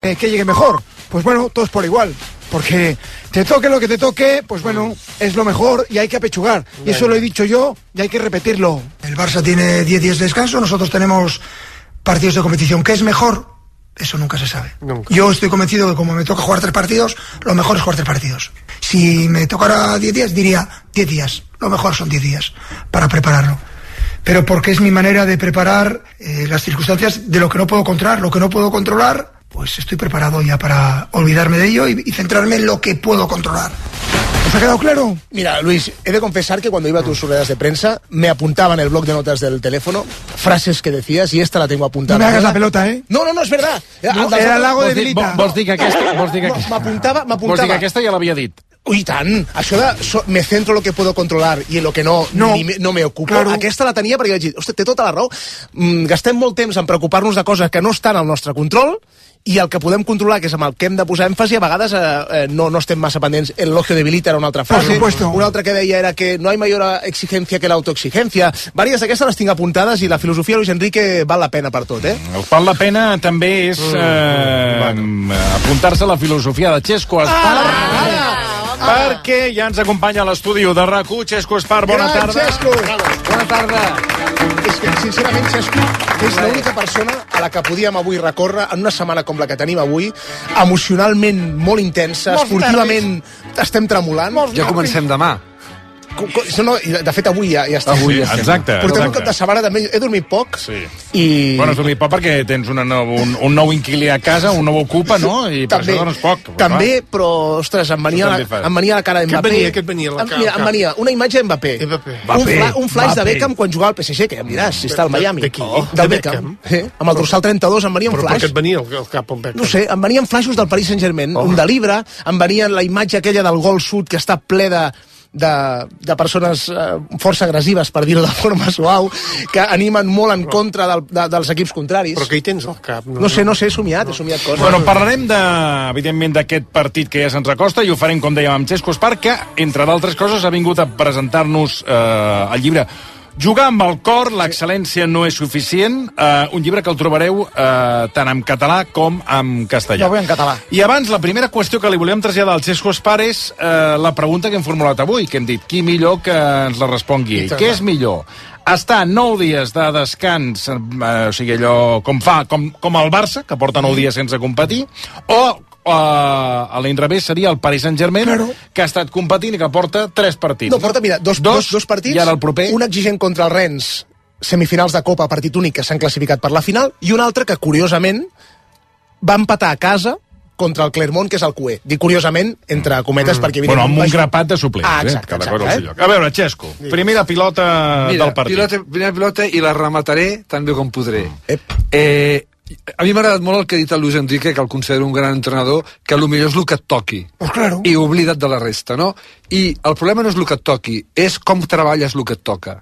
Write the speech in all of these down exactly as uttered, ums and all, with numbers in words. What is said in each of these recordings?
eh, que llegue mejor. Pues bueno, todos por igual. Porque te toque lo que te toque, pues bueno, es lo mejor y hay que apechugar. Y eso lo he dicho yo y hay que repetirlo. El Barça tiene diez días de descanso, nosotros tenemos partidos de competición. ¿Qué es mejor? Eso nunca se sabe. Nunca. Yo estoy convencido que como me toca jugar tres partidos, lo mejor es jugar tres partidos. Si me tocara diez días, diría diez días. Lo mejor son diez días para prepararlo. Pero porque es mi manera de preparar eh, las circunstancias de lo que no puedo controlar. Lo que no puedo controlar, pues estoy preparado ya para olvidarme de ello y, y centrarme en lo que puedo controlar. ¿Os ha quedado claro? Mira, Luis, he de confesar que cuando iba a tus ruedas de prensa me apuntaba en el blog de notas del teléfono frases que decías y esta la tengo apuntada. No me hagas la pelota, ¿eh? No, no, no, és verdad. No, era el lago de Vilita. Vols dir que aquesta... Vols dir que aquesta... M'apuntava, m'apuntava. Vols dir que aquesta ja l'havia dit? Ui, tant. Això de so, me centro en lo que puedo controlar i en lo que no, no, ni me, no me ocupo. Claro. Aquesta la tenia perquè vaig dir, ostres, té tota la raó. Mm, gastem molt temps en preocupar-nos de coses que no estan al nostre control i el que podem controlar, que és amb el que hem de posar èmfasi, a vegades eh, eh, no, no estem massa pendents. El elogio de Vilita era una altra frase. Una altra que deia era que no hay mayor exigencia que la autoexigencia. Vàries d'aquestes les tinc apuntades i la filosofia de Luis Enrique val la pena per tot, eh? El val la pena també és eh, apuntar-se a la filosofia de Xesco Espar. Ah, ah, perquè ja ens acompanya a l'estudi de RAC u. Xesco Espar, bona Gran tarda. Xesco. Bona tarda. És que, sincerament, Xesco, és l'única persona a la que podíem avui recórrer en una setmana com la que tenim avui, emocionalment molt intensa, Molts esportivament estem tremolant. Ja comencem demà. No, de fet, avui ja, ja estem. Avui ja estem. Exacte. Portem exacte. un cap de setmana també. He dormit poc. Sí. I... Bueno, has dormit poc perquè tens una nou, un, un nou inquilí a casa, un nou ocupa, no? I per també, això dones poc. També, però, ostres, em venia, la, em venia la cara d'Mbappé. Què et venia? Què et venia la cara? Mira, em venia una imatge d'Mbappé. Un, fla, un flash de Beckham quan jugava al P S G, que ja em diràs, si està al Miami. De qui? Oh, del Beckham. Eh? Amb el dorsal trenta-dos em venia un però flash. Però per què et venia el, el cap on Beckham? No sé, em venien flashes del Paris Saint-Germain, oh. un de Libra, em venia la imatge aquella del gol sud que està ple de... De, de persones eh, força agressives, per dir-ho de forma suau, que animen molt en contra del, de, dels equips contraris. Però què hi tens al cap? No, no sé, no sé, he somiat, no. he somiat coses. Bueno, parlarem, de, evidentment, d'aquest partit que ja se'ns acosta i ho farem, com dèiem, amb Xesco Espar, que, entre d'altres coses, ha vingut a presentar-nos eh, el llibre Jugar amb el cor, l'excel·lència no és suficient, eh, un llibre que el trobareu eh, tant en català com en castellà. Jo vull en català. I abans, la primera qüestió que li volíem traslladar al Xesco Espar és eh, la pregunta que hem formulat avui, que hem dit, qui millor que ens la respongui ell? Què és millor? Estar nou dies de descans, eh, o sigui, allò com fa, com, com el Barça, que porta nou dies sense competir, o Uh, a l'inrevés seria el Paris Saint-Germain, claro, que ha estat competint i que porta tres partits. No, porta, mira, dos, dos, dos partits, i ara el proper... un exigent contra el Rennes, semifinals de Copa, partit únic, que s'han classificat per la final, i un altre que, curiosament, va empatar a casa contra el Clermont, que és el Q E. Dic curiosament, entre cometes, mm. perquè... Bueno, amb un grapat de suplents, ah, exacte, eh? Cada exacte, cosa al seu lloc. A veure, Xesco, primera pilota Mira, del partit. Pilota, primera pilota i la remataré tan bé com podré. Mm. Eh... A mi m'ha agradat molt el que ha dit el Luis Enrique, que el considero un gran entrenador, que potser és el que et toqui. Pues claro. I oblida't de la resta, no? I el problema no és el que et toqui, és com treballes el que et toca.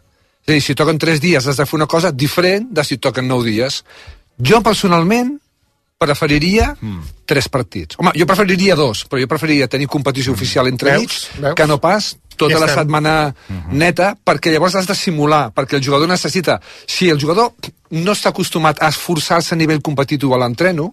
És a dir, si toquen tres dies has de fer una cosa diferent de si toquen nou dies. Jo, personalment, preferiria mm. tres partits. Home, jo preferiria dos, però jo preferiria tenir competició mm. oficial entre ells, que no pas tota ja la setmana mm-hmm. neta, perquè llavors has de simular, perquè el jugador necessita... Si el jugador no està acostumat a esforçar-se a nivell competitiu a l'entreno,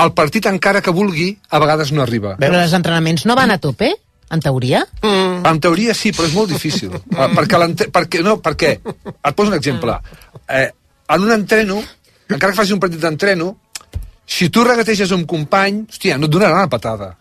el partit, encara que vulgui, a vegades no arriba. Però els entrenaments no van a tope? En teoria? Mm. En teoria sí, però és molt difícil. uh, perquè, perquè, no, perquè, et poso un exemple. Eh, en un entreno, encara que facis un partit d'entreno, si tu regateges un company, hòstia, no et donarà una patada.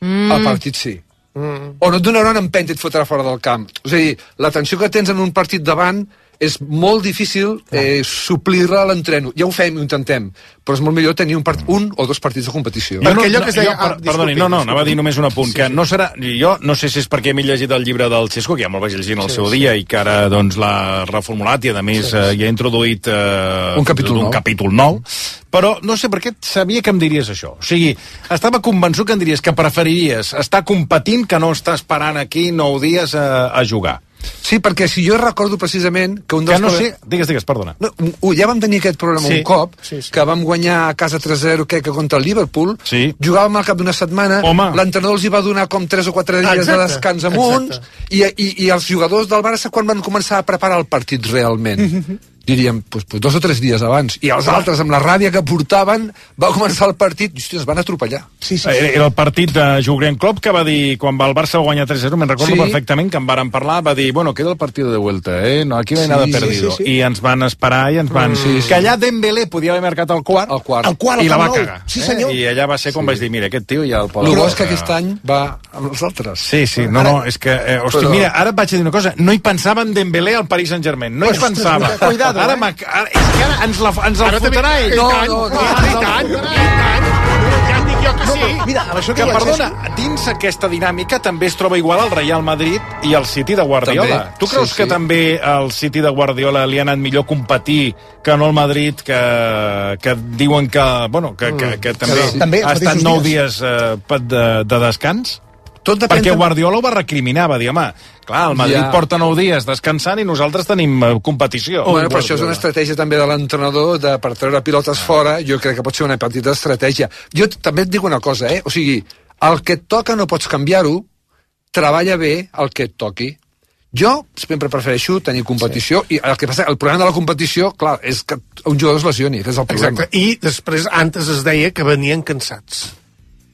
Mm. El partit sí. Mm. O no et donarà una empenta i et fotrà fora del camp. És a dir, la tensió que tens en un partit davant és molt difícil eh, suplir-la a l'entreno. Ja ho fem, ho intentem, però és molt millor tenir un, part, un o dos partits de competició. Jo no, no, jo, ah, perdoni, no, no, anava a dir només un apunt, sí, que no serà... Jo no sé si és perquè m'he llegit el llibre del Xesco, que ja me'l vaig llegir en el sí, seu sí. dia, i que ara doncs, l'ha reformulat i, a més, sí, sí. Eh, hi ha introduït eh, un capítol un nou. capítol nou, però no sé per què sabia que em diries això. O sigui, estava convençut que em diries que preferiries estar competint que no estar esperant aquí nou dies a, a jugar. Sí, perquè si jo recordo precisament que un dels... Que no sé... Digues, digues, perdona. No, ja vam tenir aquest problema sí. un cop, sí, sí. que vam guanyar a casa tres zero que, que contra el Liverpool, sí. jugàvem al cap d'una setmana, l'entrenador els hi va donar com tres o quatre dies exacte, de descans amunt, i, i, i els jugadors del Barça quan van començar a preparar el partit realment. diríem, pues, pues dos o tres dies abans, i els altres, amb la ràbia que portaven, va començar el partit, i hòstia, es van atropellar. Sí, sí. Era el partit de Jurgen Klopp que va dir, quan el Barça va guanyar tres a zero, me'n recordo sí. perfectament, que en varen parlar, va dir, bueno, queda el partit de vuelta, eh? No, aquí no hi ha sí, nada perdido. Sí, sí, sí. I ens van esperar i ens van... Mm, sí, sí. Que allà Dembélé podia haver marcat el quart, el quart. El quart i la va cagar. Sí, senyor. Eh? I allà va ser quan sí. vaig dir, mira, aquest tio ja el pot... El bo és que aquest any va amb els altres. Sí, sí, no, no, és que... Eh, hosti, Però... mira, ara et vaig dir una cosa, no hi pensava en Dembélé al Paris Saint-Germain, no hi pues, pensava. Cuidado, ara, eh? ara, és que ara ens, la, ens el fotrà ell. No, no, no. I tant, i tant. Ja et dic jo que sí. Mira, això que, perdona, dins aquesta dinàmica també es troba igual el Real Madrid i el City de Guardiola. També. Tu creus sí, que sí. també el City de Guardiola li ha anat millor competir que no el Madrid, que, que diuen que, bueno, que, que, que també, sí. també ha estat nou dies eh, de, de descans? Tot depèn. Perquè Guardiola ho va recriminar, va dir, home, clar, el Madrid ja. porta nou dies descansant i nosaltres tenim uh, competició. Oh, bueno, però això és una estratègia també de l'entrenador de, per treure pilotes fora, jo crec que pot ser una petita estratègia. Jo també et dic una cosa, eh? O sigui, el que et toca no pots canviar-ho, treballa bé el que et toqui. Jo sempre prefereixo tenir competició sí. i el que passa, el problema de la competició, clar, és que un jugador es lesioni, que és el problema. Exacte, i després antes es deia que venien cansats.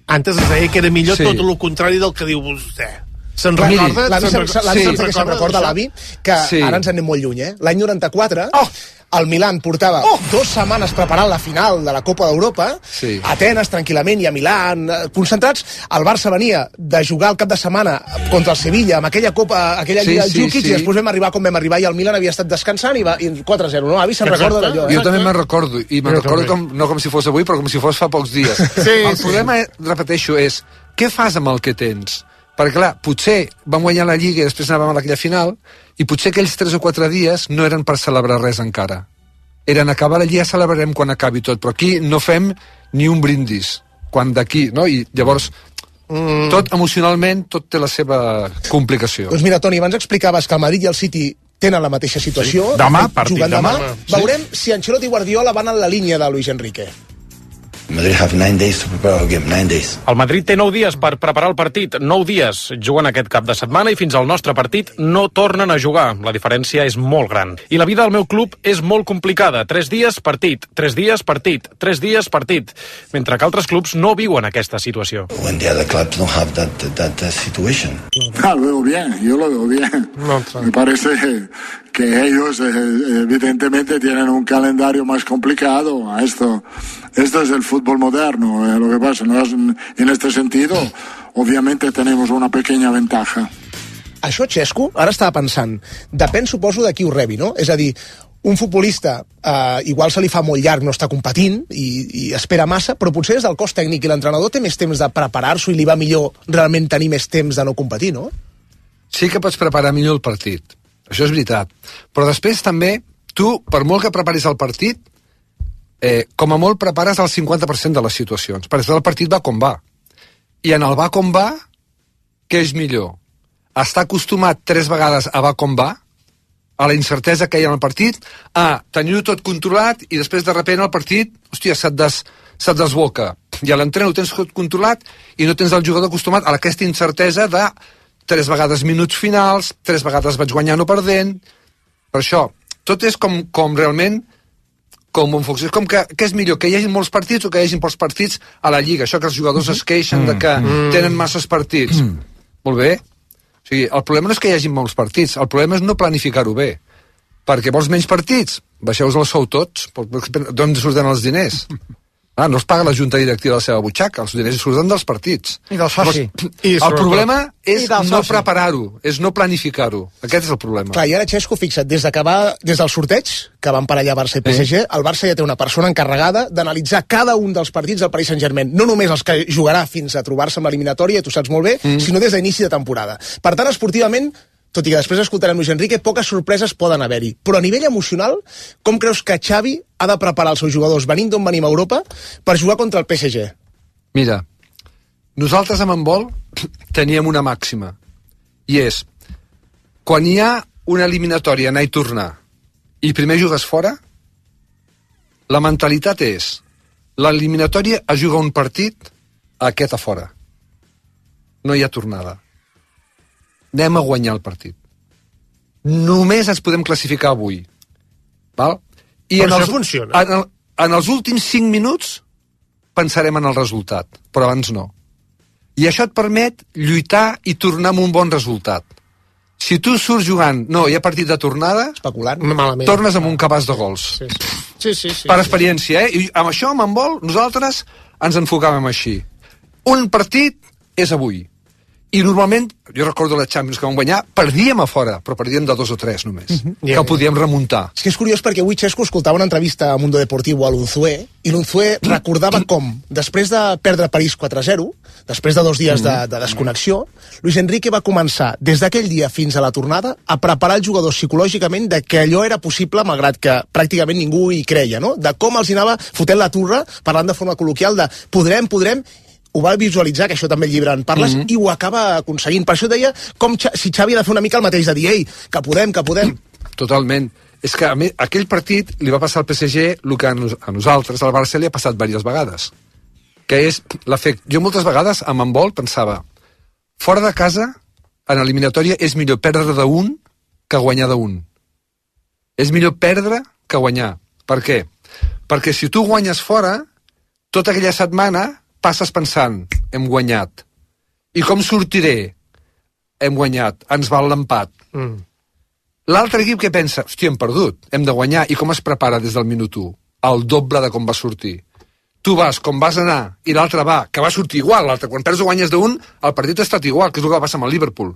Antes es deia que era millor sí. tot el contrari del que diu vostè. Se'n recorda? L'avi se'n recorda, se recorda l'avi, que sí. ara ens anem molt lluny, eh? L'any noranta-quatre, oh! el Milan portava oh! dues setmanes preparant la final de la Copa d'Europa, sí. a Atenes, tranquil·lament, i a Milan, concentrats. El Barça venia de jugar el cap de setmana contra el Sevilla, amb aquella Copa, aquella Lliga sí, del Jukic, sí, sí. i després vam arribar com vam arribar, i el Milan havia estat descansant, i, va, i quatre a zero. No, avi se'n recorda d'allò. Eh? Jo també me'n recordo, i me'n recordo com, no com si fos avui, però com si fos fa pocs dies. Sí, el sí. problema, repeteixo, és què fas amb el que tens? Perquè, clar, potser vam guanyar la Lliga i després anàvem a aquella final, i potser aquells tres o quatre dies no eren per celebrar res encara. Eren acabar la Lliga, celebrarem quan acabi tot, però aquí no fem ni un brindis, quan d'aquí, no? I llavors, mm. tot emocionalment, tot té la seva complicació. Doncs mira, Toni, abans explicaves que el Madrid i el City tenen la mateixa situació. Sí. Demà, partit demà. demà. Sí. Veurem si Ancelotti i Guardiola van en la línia de Luis Enrique. Madrid have nine days to prepare our game, nine days. El Madrid té nou dies per preparar el partit, nou dies juguen aquest cap de setmana i fins al nostre partit no tornen a jugar. La diferència és molt gran. I la vida del meu club és molt complicada. Tres dies partit, tres dies partit, tres dies partit, mentre que altres clubs no viuen aquesta situació. When the other clubs don't have that, that, that situation. Ah, lo veo bien, yo lo veo bien. No, me parece que ellos eh, evidentemente tienen un calendario más complicado. Esto, esto es el fútbol moderno. Eh, lo que pasa, ¿no? En este sentido, obviamente tenemos una pequeña ventaja. Això, Xesco, ara estava pensant, depèn, suposo, de qui ho rebi, no? És a dir, un futbolista eh, igual se li fa molt llarg no està competint i, i espera massa, però potser des del cos tècnic i l'entrenador té més temps de preparar-s'ho i li va millor realment tenir més temps de no competir, no? Sí que pots preparar millor el partit. Això és veritat. Però després també, tu, per molt que preparis el partit, eh, com a molt prepares el cinquanta per cent de les situacions. Perquè el partit va com va. I en el va com va, què és millor? Estar acostumat tres vegades a va com va, a la incertesa que hi ha en el partit, a tenir-ho tot controlat i després de repent el partit, hòstia, se't, des, se't desboca. I a l'entrenador ho tens tot controlat i no tens el jugador acostumat a aquesta incertesa de tres vegades minuts finals, tres vegades vaig guanyant o perdent. Per això, tot és com, com realment com un fox. És com que, que és millor que hi hagi molts partits o que hi hagi pocs partits a la Lliga. Això que els jugadors es queixen de que tenen masses partits. Molt bé. O sigui, el problema no és que hi hagi molts partits, el problema és no planificar-ho bé. Perquè vols menys partits? Baixeu-vos el sou tots. D'on surten els diners? Ah, no es paga la junta directiva de la seva butxaca, els diners surten dels partits. I del soci. I el problema és no preparar-ho, és no planificar-ho. Aquest és el problema. Clar, i ara, Xesco, fixa't, des, de que va, des del sorteig, que van per allà Barça i P S G, el Barça ja té una persona encarregada d'analitzar cada un dels partits del Paris Saint-Germain. No només els que jugarà fins a trobar-se amb l'eliminatòria, tu saps molt bé, mm. sinó des d'inici de temporada. Per tant, esportivament, tot i que després escoltarem Luis Enrique, poques sorpreses poden haver-hi. Però a nivell emocional, com creus que Xavi ha de preparar els seus jugadors, venint d'on venim a Europa, per jugar contra el P S G? Mira, nosaltres amb handbol teníem una màxima, i és, quan hi ha una eliminatòria anar i tornar, i primer jugues fora, la mentalitat és, l'eliminatòria es juga un partit, aquest a fora. No hi ha tornada. Anem a guanyar el partit. Només ens podem classificar avui. Val? I però en això els, funciona. En, el, en els últims cinc minuts pensarem en el resultat, però abans no. I això et permet lluitar i tornar amb un bon resultat. Si tu surts jugant, no, hi ha partit de tornada, especulant, malament, tornes amb un cabàs de gols. Sí, sí, sí, sí, per sí. experiència, eh? I amb això, amb handbol, nosaltres ens enfocàvem així. Un partit és avui. I normalment, jo recordo les Champions que vam guanyar, perdíem a fora, però perdíem de dos o tres només, uh -huh. yeah. que podíem remuntar. És que és curiós perquè avui Xesco escoltava una entrevista a Mundo Deportivo a l'Unzué, i l'Unzué recordava com, després de perdre París quatre a zero, després de dos dies de, de desconnexió, Luis Enrique va començar, des d'aquell dia fins a la tornada, a preparar els jugadors psicològicament de que allò era possible, malgrat que pràcticament ningú hi creia, no? De com els hi anava fotent la turra, parlant de forma col·loquial de podrem, podrem, ho va visualitzar, que això també el llibre en parles, mm -hmm. i ho acaba aconseguint. Per això deia com si Xavi ha de fer una mica el mateix, de dir, ei, que podem, que podem. Totalment. És que a mi, aquell partit li va passar al P S G el que a, nos, a nosaltres, al Barça, li ha passat diverses vegades. Que és l'efecte... Jo moltes vegades, amb handbol, pensava, fora de casa, en eliminatòria, és millor perdre d'un que guanyar d'un. És millor perdre que guanyar. Per què? Perquè si tu guanyes fora, tota aquella setmana passes pensant, hem guanyat. I com sortiré? Hem guanyat, ens val l'empat. Mm. L'altre equip que pensa, hòstia, hem perdut, hem de guanyar. I com es prepara des del minut u? El doble de com va sortir. Tu vas com vas anar, i l'altre va, que va sortir igual. L'altre, quan perds o guanyes d'un, el partit ha estat igual, que és el que va passar amb el Liverpool.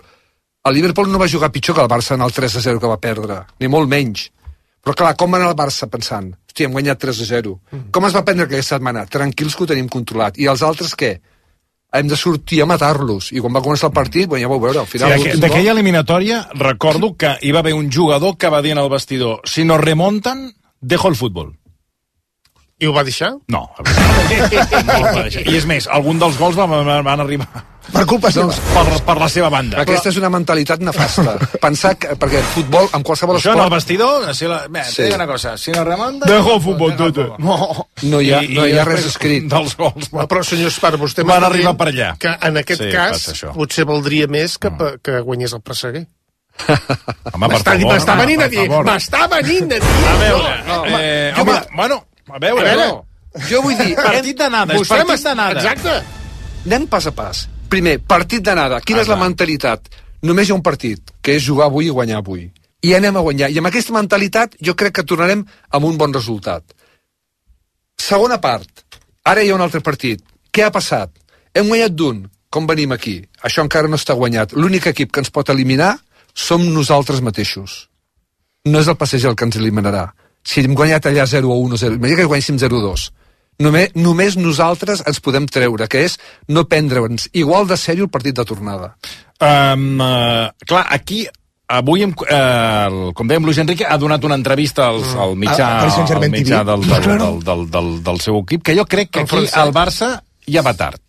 El Liverpool no va jugar pitjor que el Barça en el tres a zero que va perdre, ni molt menys. Però clar, com va anar el Barça pensant? Hòstia, hem guanyat tres a zero. Mm. Com es va prendre aquesta setmana? Tranquils que ho tenim controlat. I els altres què? Hem de sortir a matar-los. I quan va començar el partit, bueno, ja vau veure, al final... Sí, d'aquella eliminatòria, recordo que hi va haver un jugador que va dir en el vestidor, si nos remontan, dejo el futbol. I ho va deixar? No. no va deixar. I és més, algun dels gols van, van arribar... Per culpa seva. Per, per la seva banda. Aquesta és una mentalitat nefasta. Pensar que, perquè el futbol, amb qualsevol Això esport... en el vestidor, si la, bé, sí. una cosa, si no remunta... Dejo el futbol, tot. No, no hi ha, no hi ha res escrit. Dels gols. No, però, senyor Espar, vostè van arribar per allà. Que en aquest sí, cas potser valdria més que, mm. que guanyés el Presseguer. M'està venint a dir, m'està venint a dir. A veure, no, no, eh, home, home, bueno, a veure, a veure no. Jo vull dir... Partit d'anada, és partit d'anada. Exacte. Anem pas a pas. Primer, partit d'anada. Quina ah, és la mentalitat? Només hi ha un partit, que és jugar avui i guanyar avui. I anem a guanyar. I amb aquesta mentalitat jo crec que tornarem amb un bon resultat. Segona part. Ara hi ha un altre partit. Què ha passat? Hem guanyat d'un. Com venim aquí? Això encara no està guanyat. L'únic equip que ens pot eliminar som nosaltres mateixos. No és el P S G el que ens eliminarà. Si hem guanyat allà zero a un o zero, imagina que guanyéssim zero a dos. Només, només nosaltres ens podem treure, que és no prendre'ns igual de sèrio el partit de tornada. Um, uh, clar, aquí avui, hem, uh, com dèiem, Luis Enrique ha donat una entrevista als, al mitjà, al mitjà del, del, del, del, del, del seu equip, que jo crec que aquí al Barça ja va tard.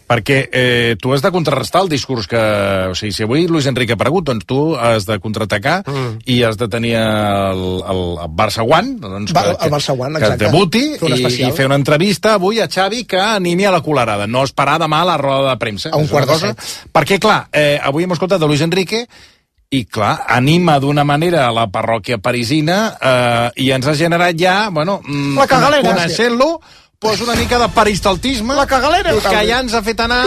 Perquè eh, tu has de contrarrestar el discurs que... O sigui, si avui Luis Enrique ha aparegut, doncs tu has de contraatacar mm. i has de tenir el, el, el Barça One, doncs Va, que, el Barça One, que debuti fer i, i fer una entrevista avui a Xavi que animi a la colarada, no esperar demà a la roda de premsa. A un quart de set. Perquè, clar, eh, avui hem escoltat de Luis Enrique i, clar, anima d'una manera a la parròquia parisina eh, i ens ha generat ja, bueno, la cagalera, coneixent-lo, pues una mica de peristaltisme. La cagalera. Que ja ens ha fet anar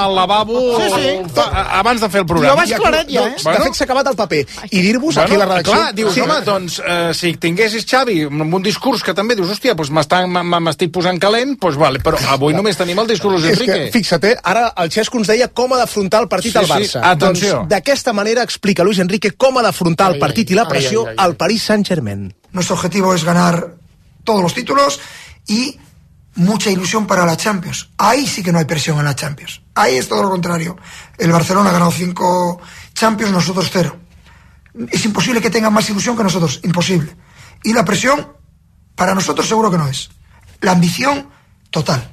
al lavabo sí, sí. abans de fer el programa. Jo vaig claret ja, eh? Bueno. De fet, s'ha acabat el paper. I dir-vos bueno, aquí a la redacció... Clar, dius, sí. home, doncs, eh, si tinguessis Xavi amb un discurs que també dius, hòstia, pues m'estic posant calent, pues vale, però avui només tenim el discurs d'Enrique. És que, fixa't, eh? Ara el Xesco ens deia com ha d'afrontar el partit sí, al Barça. Sí, atenció. Doncs d'aquesta manera explica Luis Enrique com ha d'afrontar el partit i la pressió ai, ai, ai, ai. al Paris Saint-Germain. Nuestro objetivo es ganar todos los títulos y mucha ilusión para la Champions. Ahí sí que no hay presión en la Champions. Ahí es todo lo contrario. El Barcelona ha ganado cinco Champions, nosotros cero. Es imposible que tengan más ilusión que nosotros, imposible. Y la presión, para nosotros seguro que no es. La ambición, total.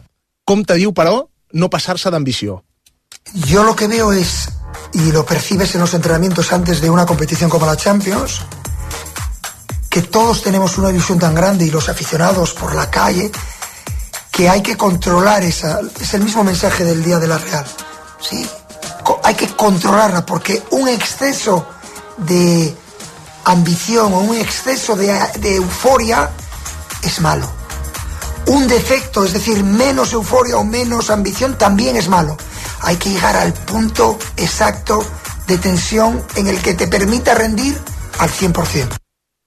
Com te diu, però, no passar-se d'ambició? Yo lo que veo es, y lo percibes en los entrenamientos antes de una competición como la Champions, que todos tenemos una ilusión tan grande y los aficionados por la calle, que hay que controlar esa, es el mismo mensaje del día de la Real, ¿sí? Hay que controlarla porque un exceso de ambición o un exceso de, de euforia es malo. Un defecto, es decir, menos euforia o menos ambición, también es malo. Hay que llegar al punto exacto de tensión en el que te permita rendir al cien por ciento.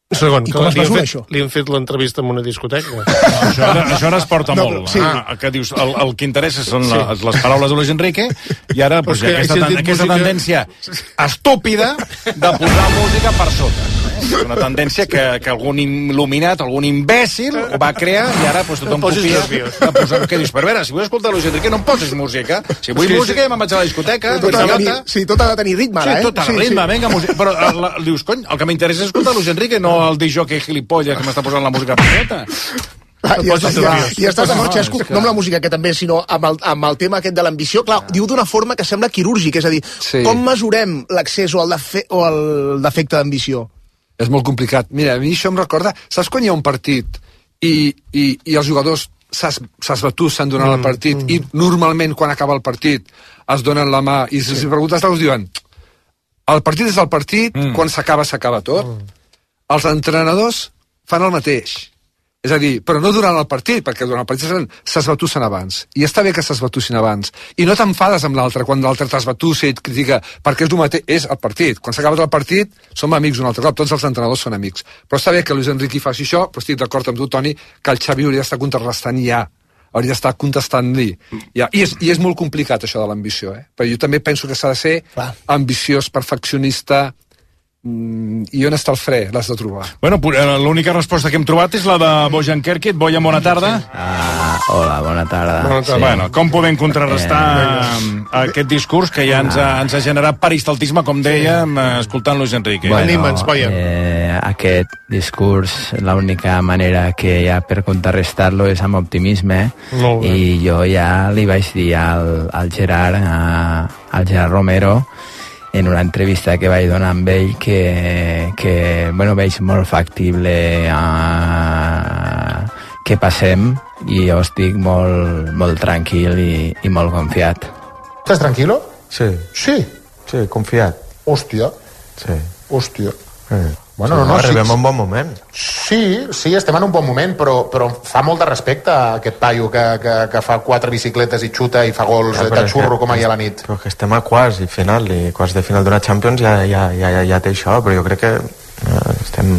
Un segon, I com es li, han mesura, fet, això? li han fet l'entrevista en una discoteca? No, això, ara, això ara es porta No, molt. sí. Ah, que dius, el, el que interessa són sí. les, les paraules de Luis Enrique, i ara pues, que aquesta, si has dit aquesta música- tendència estúpida de posar música per sota. És una tendència que, que algun il·luminat, algun imbècil ho va crear, i ara pues, tothom No posis copia nerviós. de posar... Què dius? Però a veure, si vull escoltar Luis Enrique no em posis música. Si vull Sí, música sí. ja me'n vaig a la discoteca. Tot ha de tenir, idiota. sí, tot ha de tenir ritme, Sí, ara, eh? tot a ritme, vinga, música. Però la, la, dius, cony, el que m'interessa és escoltar Luis Enrique, no el disjockey gilipolles que m'està posant la música petita. Ah, I, estàs, nerviós. ja, i estàs d'acord, No, Xesco, és que- no amb la música que també, sinó amb el, amb el tema aquest de l'ambició. Clar, diu d'una forma que sembla quirúrgic, és a dir, Sí. com mesurem l'accés o el, defe o el defecte d'ambició? És molt complicat. Mira, a mi això em recorda... Saps quan hi ha un partit i, i, i els jugadors s'esbatussen durant mm, el partit mm. i normalment quan acaba el partit es donen la mà i si sí. preguntes els diuen el partit és el partit, mm. quan s'acaba s'acaba tot. Mm. Els entrenadors fan el mateix. És a dir, però no durant el partit, perquè durant el partit s'esbatussen abans. I està bé que s'esbatussin abans. I no t'enfades amb l'altre quan l'altre t'esbatussa i et critica, perquè és el mateix, és el partit. Quan s'acaba el partit, som amics un altre cop, tots els entrenadors són amics. Però està bé que Luis Enrique faci això, però estic d'acord amb tu, Toni, que el Xavi hauria d'estar contrarrestant ja. Hauria d'estar contestant-li. Ja. I, és, I és molt complicat, això de l'ambició, eh? Però jo també penso que s'ha de ser Clar. ambiciós, perfeccionista. I on està el fre? L'has de trobar. Bueno, l'única resposta que hem trobat és la de Bojan Kerkit. Bojan, bona tarda. Ah, hola, bona tarda. Bona tarda. Sí. Bueno, com podem contrarrestar eh, aquest discurs que ja ens ha, ens ha generat peristaltisme, com dèiem, escoltant Luis Enrique? Bueno, Anima'ns, Bojan. eh, aquest discurs, l'única manera que hi ha per contrarrestar-lo és amb optimisme, Molt bé. i jo ja li vaig dir al, al Gerard, a, al Gerard Romero, en una entrevista que vaig donar amb ell que, que bueno, veig molt factible uh, que passem, i jo estic molt, molt tranquil i, i molt confiat. ¿Estás tranquilo? Sí. Sí. Sí, confiat. Hòstia. Sí. Hòstia. Sí. Bueno, sí, no, no, arribem sí, a un bon moment. Sí, sí, estem en un bon moment, però, però fa molt de respecte a aquest paio que, que, que fa quatre bicicletes i xuta i fa gols Ja, ja, però de és xurro que- com ahir a la nit. Però que estem a quarts i final, i quarts de final d'una Champions ja, ja, ja, ja, ja té això, però jo crec que eh, estem...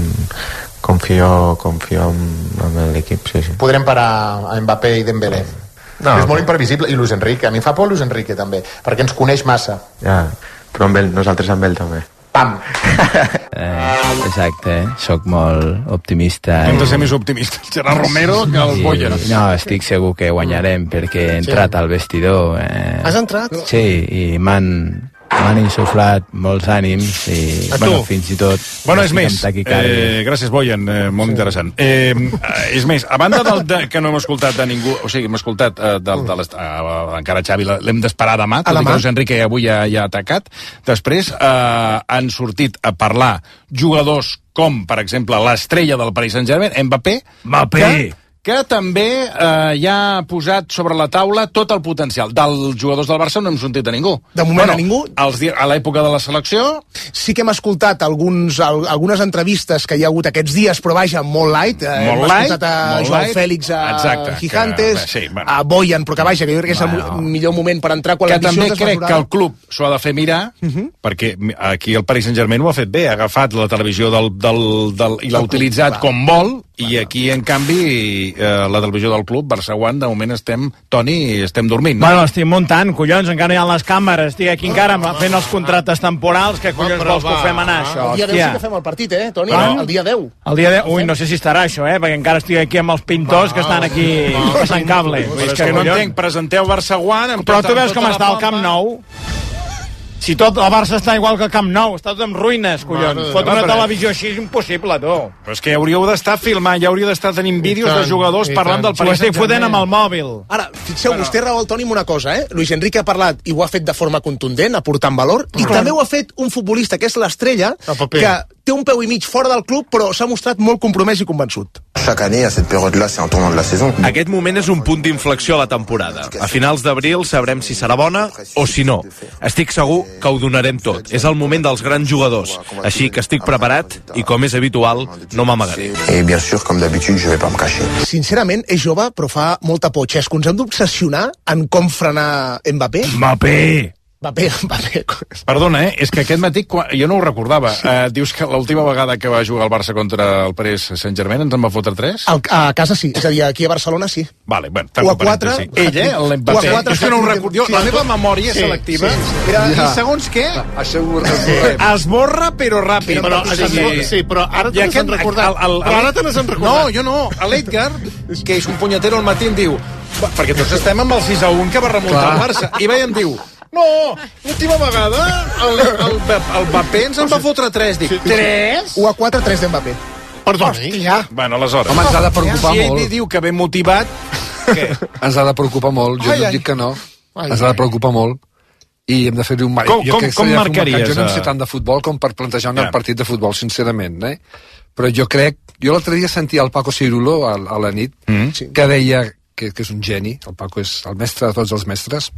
Confio, confio en, en l'equip, sí, sí. Podrem parar a Mbappé i Dembélé. No, és molt imprevisible. I Luis Enrique, a mi em fa por Luis Enrique també, perquè ens coneix massa. Ja, però amb ell, nosaltres amb ell també. Pam! Eh, exacte, sóc molt optimista. Hem de ser més optimistes. Gerard Romero que el Bojan. No, estic segur que guanyarem, perquè he entrat al vestidor. Eh, Has entrat? Sí, i m'han m'han insuflat molts ànims i, A bueno, tu? fins i tot... Bueno, és estic més, amb taquicàrdia. eh, gràcies, Bojan, eh, molt sí. interessant. Eh, és més, a banda del de, que no hem escoltat de ningú, o sigui, hem escoltat eh, del, de les, eh, encara Xavi l'hem d'esperar demà, tot i que Luis Enrique avui ja, ja ha atacat. Després eh, han sortit a parlar jugadors com, per exemple, l'estrella del Paris Saint-Germain, Mbappé, Mbappé. que, que també eh, ja ha posat sobre la taula tot el potencial. Dels jugadors del Barça no hem sentit a ningú. De moment a ningú. Els, di- a l'època de la selecció... Sí que hem escoltat alguns, al, algunes entrevistes que hi ha hagut aquests dies, però vaja, molt light. Eh, Molt hem light, escoltat a molt Joao light. Fèlix, a Exacte, Gigantes, que, sí, bueno. a Bojan, però que vaja, que jo crec que és el Bueno. mo- millor moment per entrar quan que l'ambició també és crec desmesurada. que el club s'ho ha de fer mirar, uh -huh. perquè aquí el Paris Saint-Germain ho ha fet bé, ha agafat la televisió del, del, del, i l'ha utilitzat com vol, i aquí, en canvi, eh, la televisió del club, Barça One, de moment estem, Toni, estem dormint. No? Bueno, estic muntant, collons, encara hi ha les càmeres, estic aquí encara fent els contractes temporals, que collons però vols que va, ho fem anar, això, El dia deu sí hòstia. que fem el partit, eh, Toni? Bueno. El dia deu. El dia de... Ui, no sé si estarà això, eh, perquè encara estic aquí amb els pintors que estan aquí passant cable. Vull dir, Però és és que, que no collons. entenc, presenteu Barça One... amb Però tota- tu veus tota com la està el pompa. Camp Nou? Si tot el Barça està igual que el Camp Nou, està tot en ruïnes, collons. Fot una Però- televisió així és impossible, tu. Però és que hauríeu d'estar filmant, ja hauríeu d'estar tenint vídeos tant, de jugadors i parlant tant. del S'ho Paris estic fotent amb Saint-Germain. el mòbil. Ara, fixeu, bueno. vostè raó el Toni amb una cosa, eh? Luis Enrique ha parlat i ho ha fet de forma contundent, aportant valor, i també ho ha fet un futbolista que és l'estrella, El paper. que té un peu i mig fora del club, però s'ha mostrat molt compromès i convençut. Chaque année, à cette période-là, c'est un tournant de la saison. Aquest moment és un punt d'inflexió a la temporada. A finals d'abril sabrem si serà bona o si no. Estic segur que ho donarem tot. És el moment dels grans jugadors. Així que estic preparat i, com és habitual, no m'amagaré. Et bien sûr, comme d'habitude, je vais pas me cacher. Sincerament, és jove, però fa molta por. Xesco, ens hem d'obsessionar en com frenar Mbappé? Mbappé! Mbappé, Mbappé. Perdona, eh? És que aquest matí, quan... jo no ho recordava. Uh, dius que l'última vegada que va jugar el Barça contra el Paris Saint-Germain ens en va fotre tres? Al, a casa sí, és a dir, aquí a Barcelona sí. Vale, bueno, o a quatre... Sí. Ell, eh? L'Mbappé. O a quatre... És que no ho recordo. Jo, la meva memòria sí, selectiva... Sí, sí. Era, Ja. I segons què? Això ho esborrem. Esborra, però ràpid. Però, sí, sí, però ara te n'has recordat. El, el, Però ara te n'has recordat. No, jo no. L'Edgar, que és un punyetero al matí, em diu... Perquè tots estem amb el sis a un que va remuntar el Barça. I veia, em diu... No, l'última vegada el, el, el Mbappé ens en va fotre tres. Dic, tres? u a quatre, tres d'Mbappé. Perdoni. Hòstia. Bueno, aleshores... Home, ens ha de preocupar si molt. ell diu que ben motivat... Què? Ens ha de preocupar molt, jo Ai, no ai. dic que no. Ai, Ens ha de preocupar molt. I hem de fer-li un... Com- jo com- crec que com s'ha de fer un marcaries, mercat. Jo no en eh? sé tant de futbol com per plantejar un Ja. partit de futbol, sincerament, eh? Però jo crec... Jo l'altre dia sentia el Paco Cirulo a, a la nit, Mm. que deia que, que és un geni, el Paco és el mestre de tots els mestres,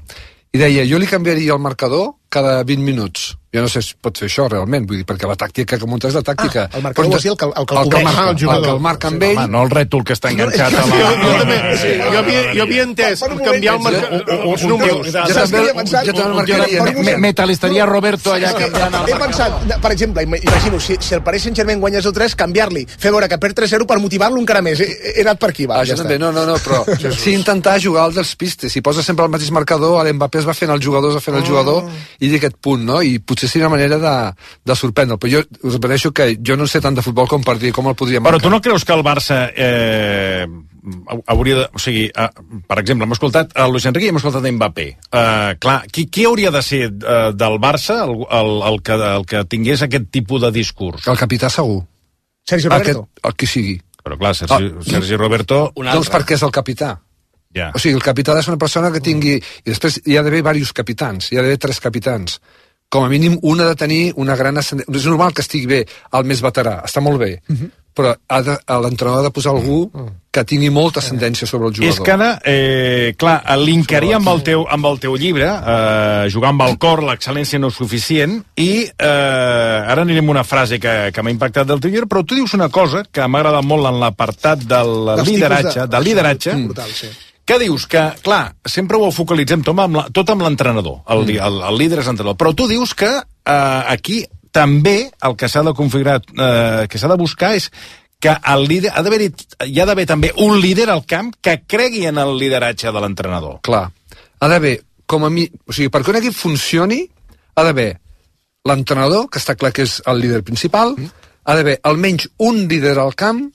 i deia, jo li canviaria el marcador cada vint minuts. Jo no sé si pot fer això realment, vull dir, perquè la tàctica que munta és la tàctica. Ah, el marcador Però vols dir el que el, el, que el, el que cobreix. marca, Ah, el jugador. El que el marca amb ell... Home, no el rètol que està enganxat a la... Jo, jo, també, sí, jo, havia, jo havia entès canviar el marcador, els números. Jo també, jo també el marcaria. Metalisteria Roberto allà canviant el... He pensat, per exemple, ima- imagino, si, si el Paris Saint-Germain guanya zero tres, canviar-li, fer veure que perd tres zero per motivar-lo encara més. He, he anat per aquí, va, Això ja també, està. no, no, no, però sí intentar jugar als dels pistes. Si posa sempre el mateix marcador, l'Mbappé es va fent el jugador, es va fent el jugador, i d'aquest punt, no? I potser seria una manera de, de sorprendre. Però jo us repeteixo que jo no sé tant de futbol com per dir com el podria marcar. Però tu no creus que el Barça eh, hauria de... O sigui, eh, per exemple, hem escoltat a Luis Enrique i hem escoltat a Mbappé. Eh, clar, qui, qui hauria de ser eh, del Barça el, el, el, que, el que tingués aquest tipus de discurs? El capità segur. Sergi Roberto. Aquest, el que sigui. Però clar, Sergi, Ah. Sergi Roberto... Doncs perquè és el capità. Ja. O sigui, el capità ha de ser una persona que tingui... I després hi ha d'haver diversos capitans, hi ha d'haver tres capitans. Com a mínim, un ha de tenir una gran ascendència. És normal que estigui bé el més veterà, està molt bé, uh -huh. però ha de, l'entrenador ha de posar algú que tingui molta ascendència sobre el jugador. És que ara, eh, clar, linkaria amb el teu, amb el teu llibre, eh, jugar amb el cor, l'excel·lència no és suficient, i eh, ara anirem a una frase que, que m'ha impactat del teu llibre, però tu dius una cosa que m'ha agradat molt en l'apartat del Dels lideratge, tipus de- del lideratge, Brutal, sí. que dius que, clar, sempre ho focalitzem tot amb la- tot amb l'entrenador, el, Mm. el, el líder és l'entrenador, però tu dius que eh, aquí també el que s'ha de configurar, eh, que s'ha de buscar és que el líder, ha d'haver hi ha d'haver també un líder al camp que cregui en el lideratge de l'entrenador. Clar, ha d'haver, com a mi... O sigui, perquè un equip funcioni, ha d'haver l'entrenador, que està clar que és el líder principal, mm. ha d'haver almenys un líder al camp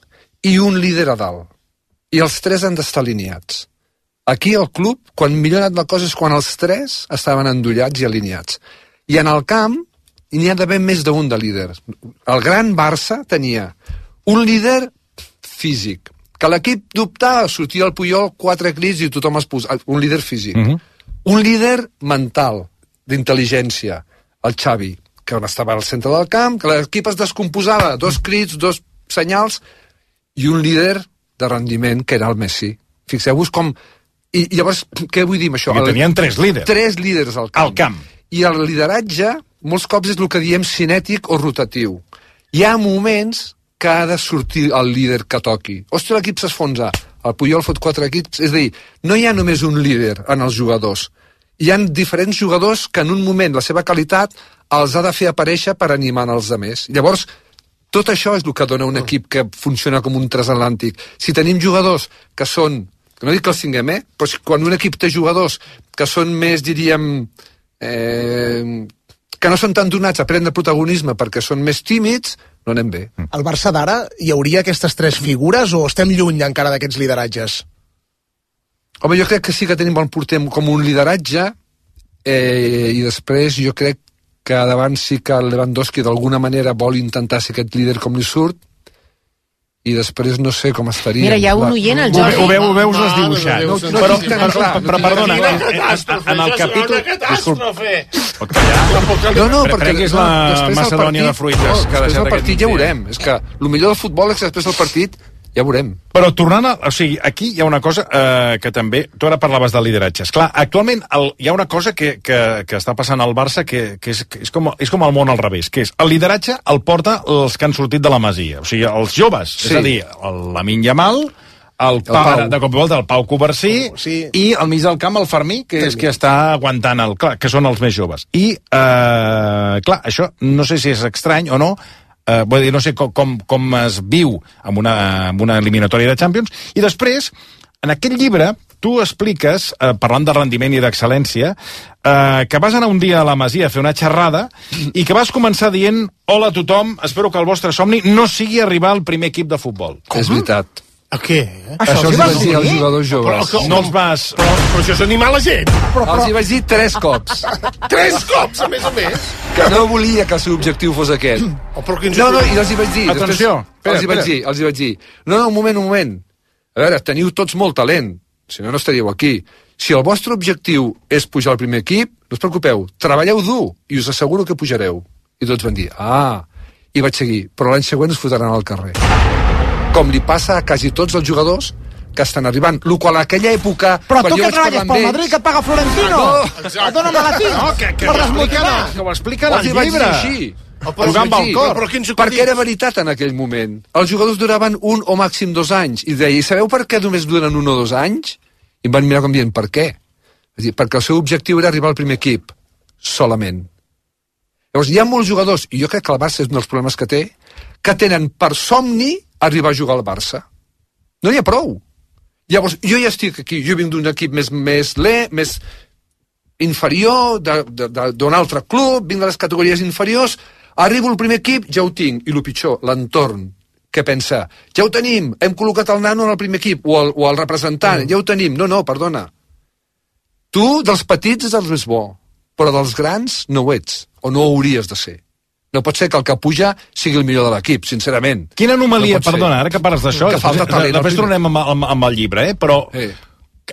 i un líder a dalt. I els tres han d'estar alineats. Aquí al club, quan millor ha anat la cosa és quan els tres estaven endollats i alineats. I en el camp n'hi ha d'haver més d'un de líder. El gran Barça tenia un líder físic, que l'equip dubtava, sortia el Puyol, quatre crits i tothom es posa... Un líder físic. Mm -hmm. Un líder mental, d'intel·ligència, el Xavi, que estava al centre del camp, que l'equip es descomposava, dos crits, dos senyals, i un líder de rendiment, que era el Messi. Fixeu-vos com... I, I llavors, què vull dir amb això? Perquè tenien tres líders. Tres líders al camp. Al camp. I el lideratge, molts cops és el que diem cinètic o rotatiu. Hi ha moments que ha de sortir el líder que toqui. Ostres, l'equip s'esfonsa. El Puyol fot quatre equips. És a dir, no hi ha només un líder en els jugadors. Hi ha diferents jugadors que en un moment la seva qualitat els ha de fer aparèixer per animar els altres. Llavors, tot això és el que dona un equip que funciona com un transatlàntic. Si tenim jugadors que són, no dic que els tinguem, eh? Però si, quan un equip té jugadors que són més, diríem, eh, que no són tan donats a prendre protagonisme perquè són més tímids, no anem bé. Al Barça d'ara hi hauria aquestes tres figures o estem lluny encara d'aquests lideratges? Home, jo crec que sí que tenim bon porter com un lideratge, eh, i després jo crec que davant sí que el Lewandowski d'alguna manera vol intentar ser aquest líder com li surt, i després no sé com estaria. Mira, hi ha un oient, el Jordi. Ho, ho veus desdibuixat. No, no, però, però, però, perdona, en el capítol... No, no, perquè... Prenguis la Macedònia de fruites. Després del partit ja veurem. És que el millor del futbol és que després del partit ja veurem. Però tornant a... O sigui, aquí hi ha una cosa eh, que també... Tu ara parlaves de lideratges. Clar, actualment el, hi ha una cosa que, que, que està passant al Barça que, que, és, que és, com, és com el món al revés, que és el lideratge el porta els que han sortit de la Masia. O sigui, els joves. Sí. És a dir, el Lamine Yamal, el, el pare de cop i volta, el Pau Covarsí, sí. I al mig del camp el Fermí, que és qui està aguantant el... Clar, que són els més joves. I, eh, clar, això no sé si és estrany o no, Uh, vull dir, no sé com, com, com es viu amb una, amb una eliminatòria de Champions, i després, en aquest llibre, tu expliques, uh, parlant de rendiment i d'excel·lència, uh, que vas anar un dia a la Masia a fer una xerrada i que vas començar dient: hola a tothom, espero que el vostre somni no sigui arribar al primer equip de futbol. És veritat. A què? Això, això els hi vaig dir als jugadors joves. Però, no els vas... Però, però això és animar la gent. Però, però... Els hi vaig dir tres cops. Tres cops, a més a més? Que no volia que el seu objectiu fos aquest. Oh, però no, no, i els hi vaig dir. Atenció. Espera, els hi vaig dir, els hi vaig dir. No, no, un moment, un moment. A veure, teniu tots molt talent. Si no, no estaríeu aquí. Si el vostre objectiu és pujar al primer equip, no us preocupeu. Treballeu dur i us asseguro que pujareu. I tots van dir, ah... I vaig seguir. Però l'any següent us fotran al carrer. Com li passa a quasi tots els jugadors que estan arribant. Lo qual a aquella època... Però tu que treballes pel Madrid, que et paga Florentino. No, dóna'm la tinc. No, que, que, per desmotivar. Que ho expliquen al llibre. Jugant pel cor. Perquè era veritat en aquell moment. Els jugadors duraven un o màxim dos anys. I deia, i sabeu per què només duren un o dos anys? I em van mirar com dient, per què? És dir, perquè el seu objectiu era arribar al primer equip. Solament. Llavors, hi ha molts jugadors, i jo crec que el Barça és un dels problemes que té, que tenen per somni arribar a jugar al Barça. No n'hi ha prou. Llavors, jo ja estic aquí, jo vinc d'un equip més, més le, més inferior, d'un altre club, vinc de les categories inferiors, arribo al primer equip, ja ho tinc, i el pitjor, l'entorn, què pensa? Ja ho tenim, hem col·locat el nano en el primer equip, o el, o el representant, mm. ja ho tenim. No, no, perdona. Tu, dels petits, és el més bo, però dels grans no ho ets, o no ho hauries de ser. No pot ser que el que puja sigui el millor de l'equip, sincerament. Quina anomalia, no perdona, ara que parles d'això, que falta talent. Després tornem amb, amb, amb el llibre, eh? Però eh.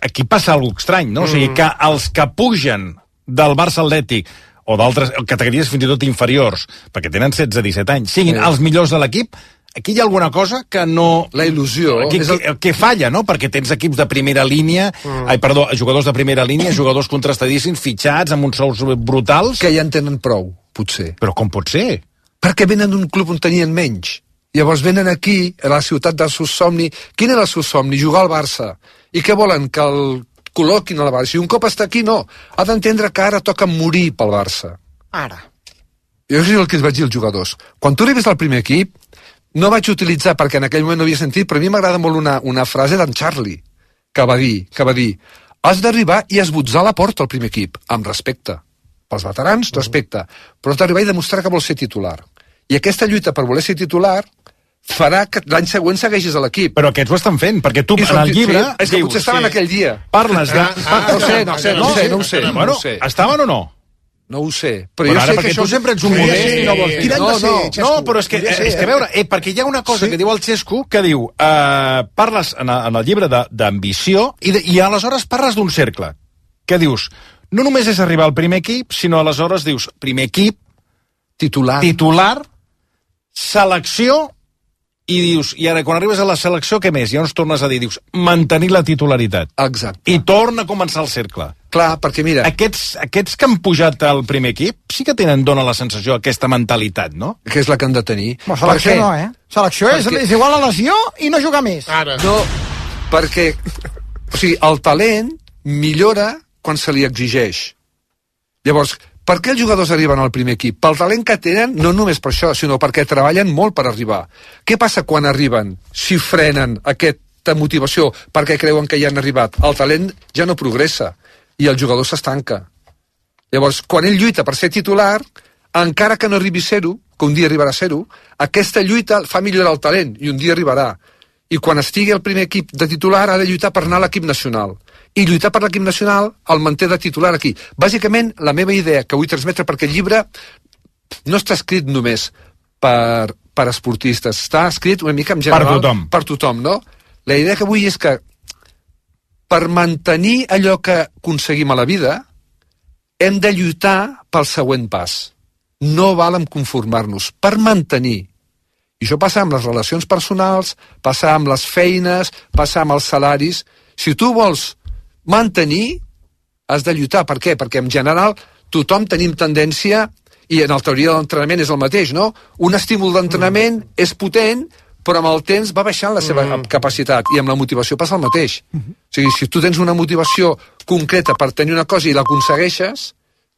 aquí passa alguna cosa estrany, no? Mm. O sigui, que els que pugen del Barça Atlètic o d'altres categories fins i tot inferiors, perquè tenen setze a disset anys, siguin eh. els millors de l'equip, aquí hi ha alguna cosa que no... La il·lusió. Que, el... que, que falla, no? Perquè tens equips de primera línia, mm. ai, perdó, jugadors de primera línia, jugadors contrastadíssims, fitxats, amb uns sous brutals... Que ja en tenen prou, potser. Però com pot ser? Perquè venen d'un club on tenien menys. Llavors venen aquí, a la ciutat del seu somni. Quin era el seu somni? Jugar al Barça. I què volen? Que el col·loquin al Barça. I un cop està aquí, no. Ha d'entendre que ara toca morir pel Barça. Ara. Jo és el que els vaig dir als jugadors. Quan tu arribes al primer equip, no vaig utilitzar, perquè en aquell moment no havia sentit, però a mi m'agrada molt una, una frase d'en Charlie, que va dir, que va dir, has d'arribar i esbotzar la porta al primer equip, amb respecte. Pels veterans, respecte. Però has d'arribar i demostrar que vols ser titular. I aquesta lluita per voler ser titular farà que l'any següent segueixis a l'equip. Però aquests ho estan fent, perquè tu, en el llibre... Sí, és que dius, potser estaven sí. aquell dia. Parles de... Ah, ah, no ho sé, no ho sé, no ho sé, no ho sé. Bueno, no sé. Estaven o no? No ho sé. Però, però jo ara, sé que això... tu sempre ets un modest sí, i no vols dir. No, no, no, no, però és que, ser, és que a veure, eh, perquè hi ha una cosa sí. que diu el Xesco, que diu, eh, parles en, en el llibre d'ambició i, de, i aleshores parles d'un cercle. Què dius? No només és arribar al primer equip, sinó aleshores dius, primer equip, titular, titular selecció, i dius, i ara quan arribes a la selecció, què més? Ja ens tornes a dir, dius, mantenir la titularitat. Exacte. I torna a començar el cercle. Clar, perquè mira... Aquests, aquests que han pujat al primer equip sí que tenen, dona la sensació, aquesta mentalitat, no? Que és la que han de tenir. No, selecció no, eh? Selecció és, perquè... és igual a lesió i no jugar més. Ara. No, perquè, o sigui, el talent millora quan se li exigeix. Llavors, per què els jugadors arriben al primer equip? Pel talent que tenen, no només per això, sinó perquè treballen molt per arribar. Què passa quan arriben? Si frenen aquesta motivació perquè creuen que ja han arribat, el talent ja no progressa i el jugador s'estanca. Llavors, quan ell lluita per ser titular, encara que no arribi a zero, que un dia arribarà a zero, aquesta lluita fa millorar el talent i un dia arribarà. I quan estigui al primer equip de titular ha de lluitar per anar a l'equip nacional. I lluitar per l'equip nacional el manté de titular aquí. Bàsicament, la meva idea que vull transmetre, perquè el llibre no està escrit només per, per esportistes. Està escrit una mica en general... Per tothom. Per tothom, no? La idea que vull és que per mantenir allò que aconseguim a la vida hem de lluitar pel següent pas. No val en conformar-nos. Per mantenir. I això passa amb les relacions personals, passa amb les feines, passa amb els salaris. Si tu vols mantenir, has de lluitar. Per què? Perquè en general tothom tenim tendència, i en la teoria de l'entrenament és el mateix, no? Un estímul d'entrenament mm. és potent, però amb el temps va baixant la seva mm. capacitat, i amb la motivació passa el mateix. Mm-hmm. O sigui, si tu tens una motivació concreta per tenir una cosa i l'aconsegueixes,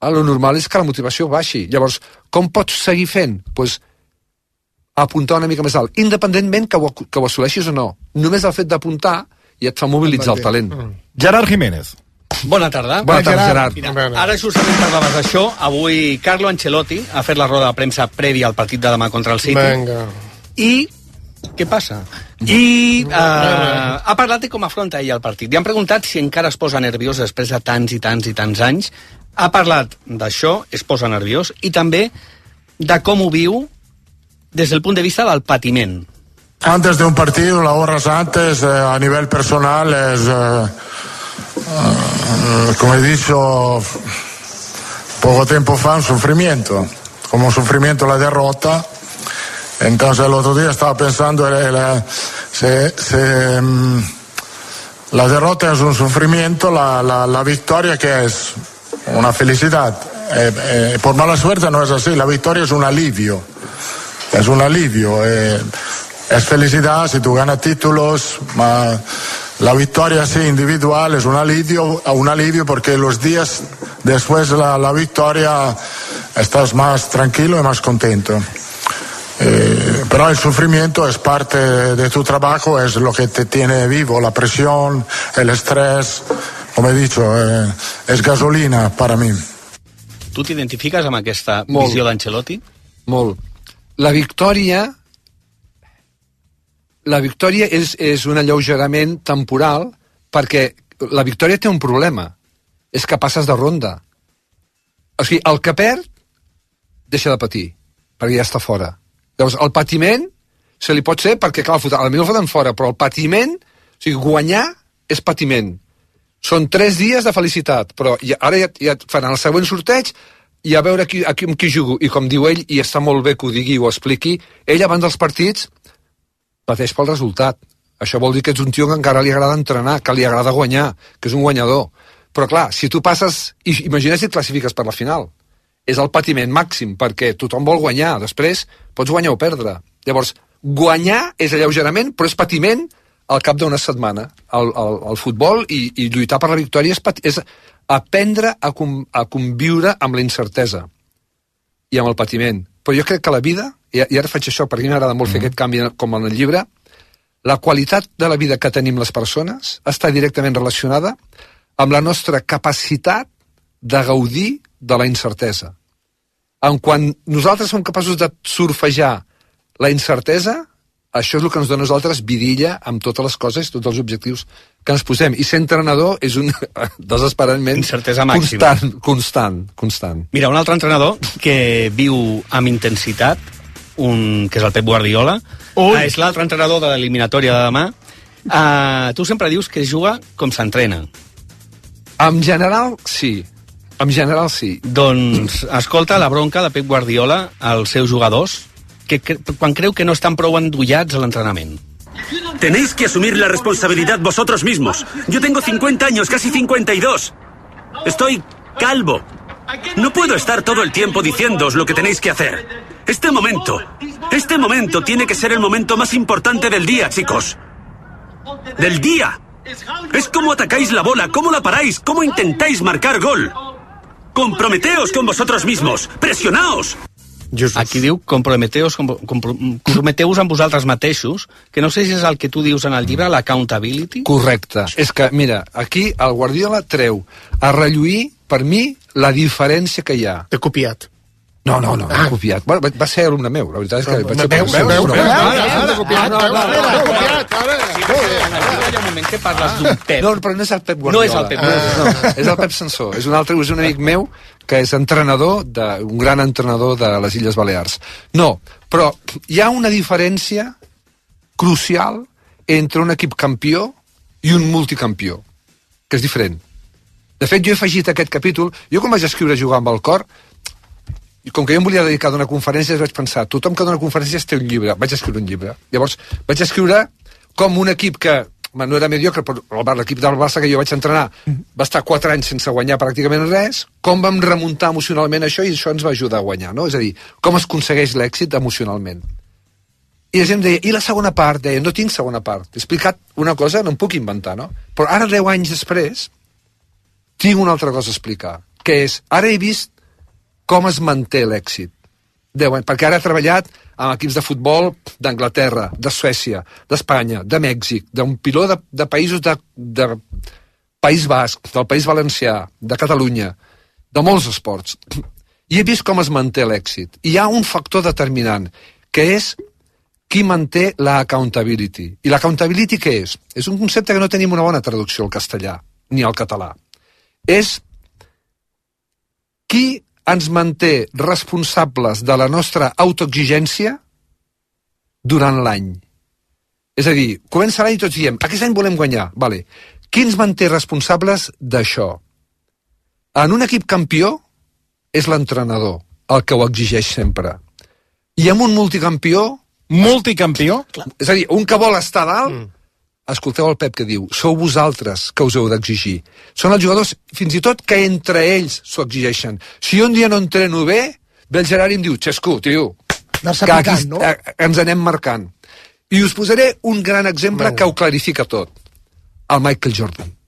el normal és que la motivació baixi. Llavors, com pots seguir fent? Doncs pues, apuntar una mica més alt, independentment que ho, que ho assoleixis o no. Només el fet d'apuntar ja et fa mobilitzar el talent. Mm. Gerard Jiménez. Bona tarda. Bona tarda, Gerard. Mira, ara justament parlaves d'això. Avui Carlo Ancelotti ha fet la roda de premsa prèvia al partit de demà contra el City. Venga. I què passa? I uh, ha parlat de com afronta ell el partit. Li han preguntat si encara es posa nerviós després de tants i tants i tants anys. Ha parlat d'això, es posa nerviós, i també de com ho viu des del punt de vista del patiment. Antes de un partido, las horas antes, eh, a nivel personal, es, eh, eh, como he dicho poco tiempo fa, un sufrimiento. Como un sufrimiento la derrota. Entonces el otro día estaba pensando, eh, la, se, se, mm, la derrota es un sufrimiento, la, la, la victoria que es una felicidad. Eh, eh, por mala suerte no es así, la victoria es un alivio. Es un alivio, eh, es felicidad si tú ganas títulos, ma la victoria sí individual es un alivio, un alivio porque los días después de la, la victoria estás más tranquilo y más contento. Eh, pero el sufrimiento es parte de tu trabajo, es lo que te tiene vivo, la presión, el estrés, como he dicho, eh, es gasolina para mí. Tu t'identifiques amb aquesta Molt. visió d'Ancelotti? Molt. La victòria la victòria és, és un alleugerament temporal, perquè la victòria té un problema, és que passes de ronda. O sigui, el que perd deixa de patir, perquè ja està fora. Llavors, el patiment se li pot ser perquè, clar, potser el foten fora, però el patiment, o sigui, guanyar és patiment. Són tres dies de felicitat, però ja, ara ja, ja faran el següent sorteig i a veure qui, a qui, amb qui jugo. I com diu ell, i està molt bé que ho digui o ho expliqui, ell abans dels partits pateix pel resultat. Això vol dir que ets un tio que encara li agrada entrenar, que li agrada guanyar, que és un guanyador. Però clar, si tu passes, i imagina si et classifiques per la final, és el patiment màxim, perquè tothom vol guanyar, després pots guanyar o perdre. Llavors, guanyar és alleugerament, però és patiment al cap d'una setmana. El, el, el futbol i, i lluitar per la victòria és, és aprendre a, com, a conviure amb la incertesa i amb el patiment. Però jo crec que la vida, i, i ara faig això perquè m'agrada molt mm. fer aquest canvi com en el llibre, la qualitat de la vida que tenim les persones està directament relacionada amb la nostra capacitat de gaudir de la incertesa. En quan nosaltres som capaços de surfejar la incertesa, això és el que ens dona a nosaltres vidilla amb totes les coses, tots els objectius que ens posem. I ser entrenador és un desesperadament incertesa màxima. Constant, constant, constant. Mira, un altre entrenador que viu amb intensitat, un, que és el Pep Guardiola, uh, és l'altre entrenador de l'eliminatòria de demà. Uh, tu sempre dius que es juga com s'entrena. En general, sí. En general, sí. Doncs, escolta la bronca de Pep Guardiola als seus jugadors, que cre quan creu que no estan prou endollats a l'entrenament. Tenéis que asumir la responsabilidad vosotros mismos. Yo tengo cincuenta años, casi cincuenta y dos. Estoy calvo. No puedo estar todo el tiempo diciéndoos lo que tenéis que hacer. Este momento, este momento tiene que ser el momento más importante del día, chicos. Del día. Es cómo atacáis la bola, cómo la paráis, cómo intentáis marcar gol. Comprometeos con vosotros mismos. Presionaos. Jesús. Aquí diu comprometeus, comprometeu-vos amb vosaltres mateixos, que no sé si és el que tu dius en el llibre, l'accountability. Correcte. És que, mira, aquí el Guardiola treu a relluir, per mi, la diferència que hi ha. T'he copiat. No, no, no, ah. copiat. Bueno, va ser alumne meu, la veritat és que... Veus, veus, veus, veus, ara, copiat, copiat, ara. Un moment que parles d'un Pep. No, però no és el Pep Guardiola. No és el Pep Guardiola. No, és el Pep Sansó. És un altre, és un amic meu que és entrenador, de, un gran entrenador de les Illes Balears. No, però hi ha una diferència crucial entre un equip campió i un multicampió, que és diferent. De fet, jo he afegit aquest capítol, jo quan vaig escriure Jugar amb el cor, i com que jo em volia dedicar a donar conferències, vaig pensar, tothom que dona conferències té un llibre, vaig escriure un llibre. Llavors, vaig escriure com un equip que, no era mediocre, però l'equip del Barça que jo vaig entrenar va estar quatre anys sense guanyar pràcticament res, com vam remuntar emocionalment això i això ens va ajudar a guanyar, no? És a dir, com es aconsegueix l'èxit emocionalment. I la gent deia, i la segona part? Deia, no tinc segona part. He explicat una cosa, no em puc inventar, no? Però ara, deu anys després, tinc una altra cosa a explicar, que és, ara he vist com es manté l'èxit. Perquè ara he treballat amb equips de futbol d'Anglaterra, de Suècia, d'Espanya, de Mèxic, d'un piló de, de països de, de País Basc, del País Valencià, de Catalunya, de molts esports. I he vist com es manté l'èxit. I hi ha un factor determinant, que és qui manté la accountability. I l'accountability què és? És un concepte que no tenim una bona traducció al castellà, ni al català. És qui ens manté responsables de la nostra autoexigència durant l'any. És a dir, comença l'any i tots diem, aquest any volem guanyar, vale. Qui ens manté responsables d'això? En un equip campió és l'entrenador, el que ho exigeix sempre. I en un multicampió... Multicampió? És a dir, un que vol estar dalt, mm. escolteu el Pep que diu, sou vosaltres que us heu d'exigir. Són els jugadors, fins i tot, que entre ells s'ho exigeixen. Si un dia no entreno bé, ve el Gerard i em diu, Xesco, tio, que aquí no? ens anem marcant. I us posaré un gran exemple no. que ho clarifica tot. El Michael Jordan.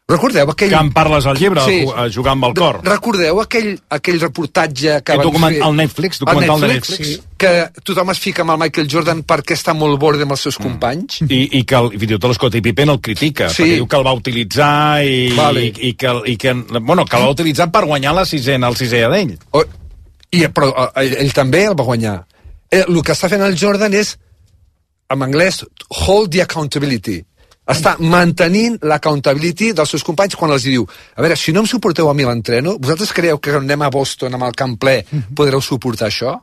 Recordeu aquell... Que en parles al llibre, sí. a Jugar amb el cor. Recordeu aquell, aquell reportatge que van document, fer... El Netflix, documental de Netflix. Netflix sí. Que tothom es fica amb el Michael Jordan perquè està molt borde amb els seus mm. companys. I, i que el, fins i tot l'Scottie Pippen el critica, sí. perquè diu que el va utilitzar i, vale. i, i, que, i que, bueno, que el va utilitzar per guanyar la sisena, el sisè d'ell. Oh, i, però ell, ell també el va guanyar. Eh, el que està fent el Jordan és, en anglès, hold the accountability. Està mantenint l'accountability dels seus companys quan els diu, a veure, si no em suporteu a mi l'entreno, vosaltres creieu que anem a Boston amb el camp ple podreu suportar això?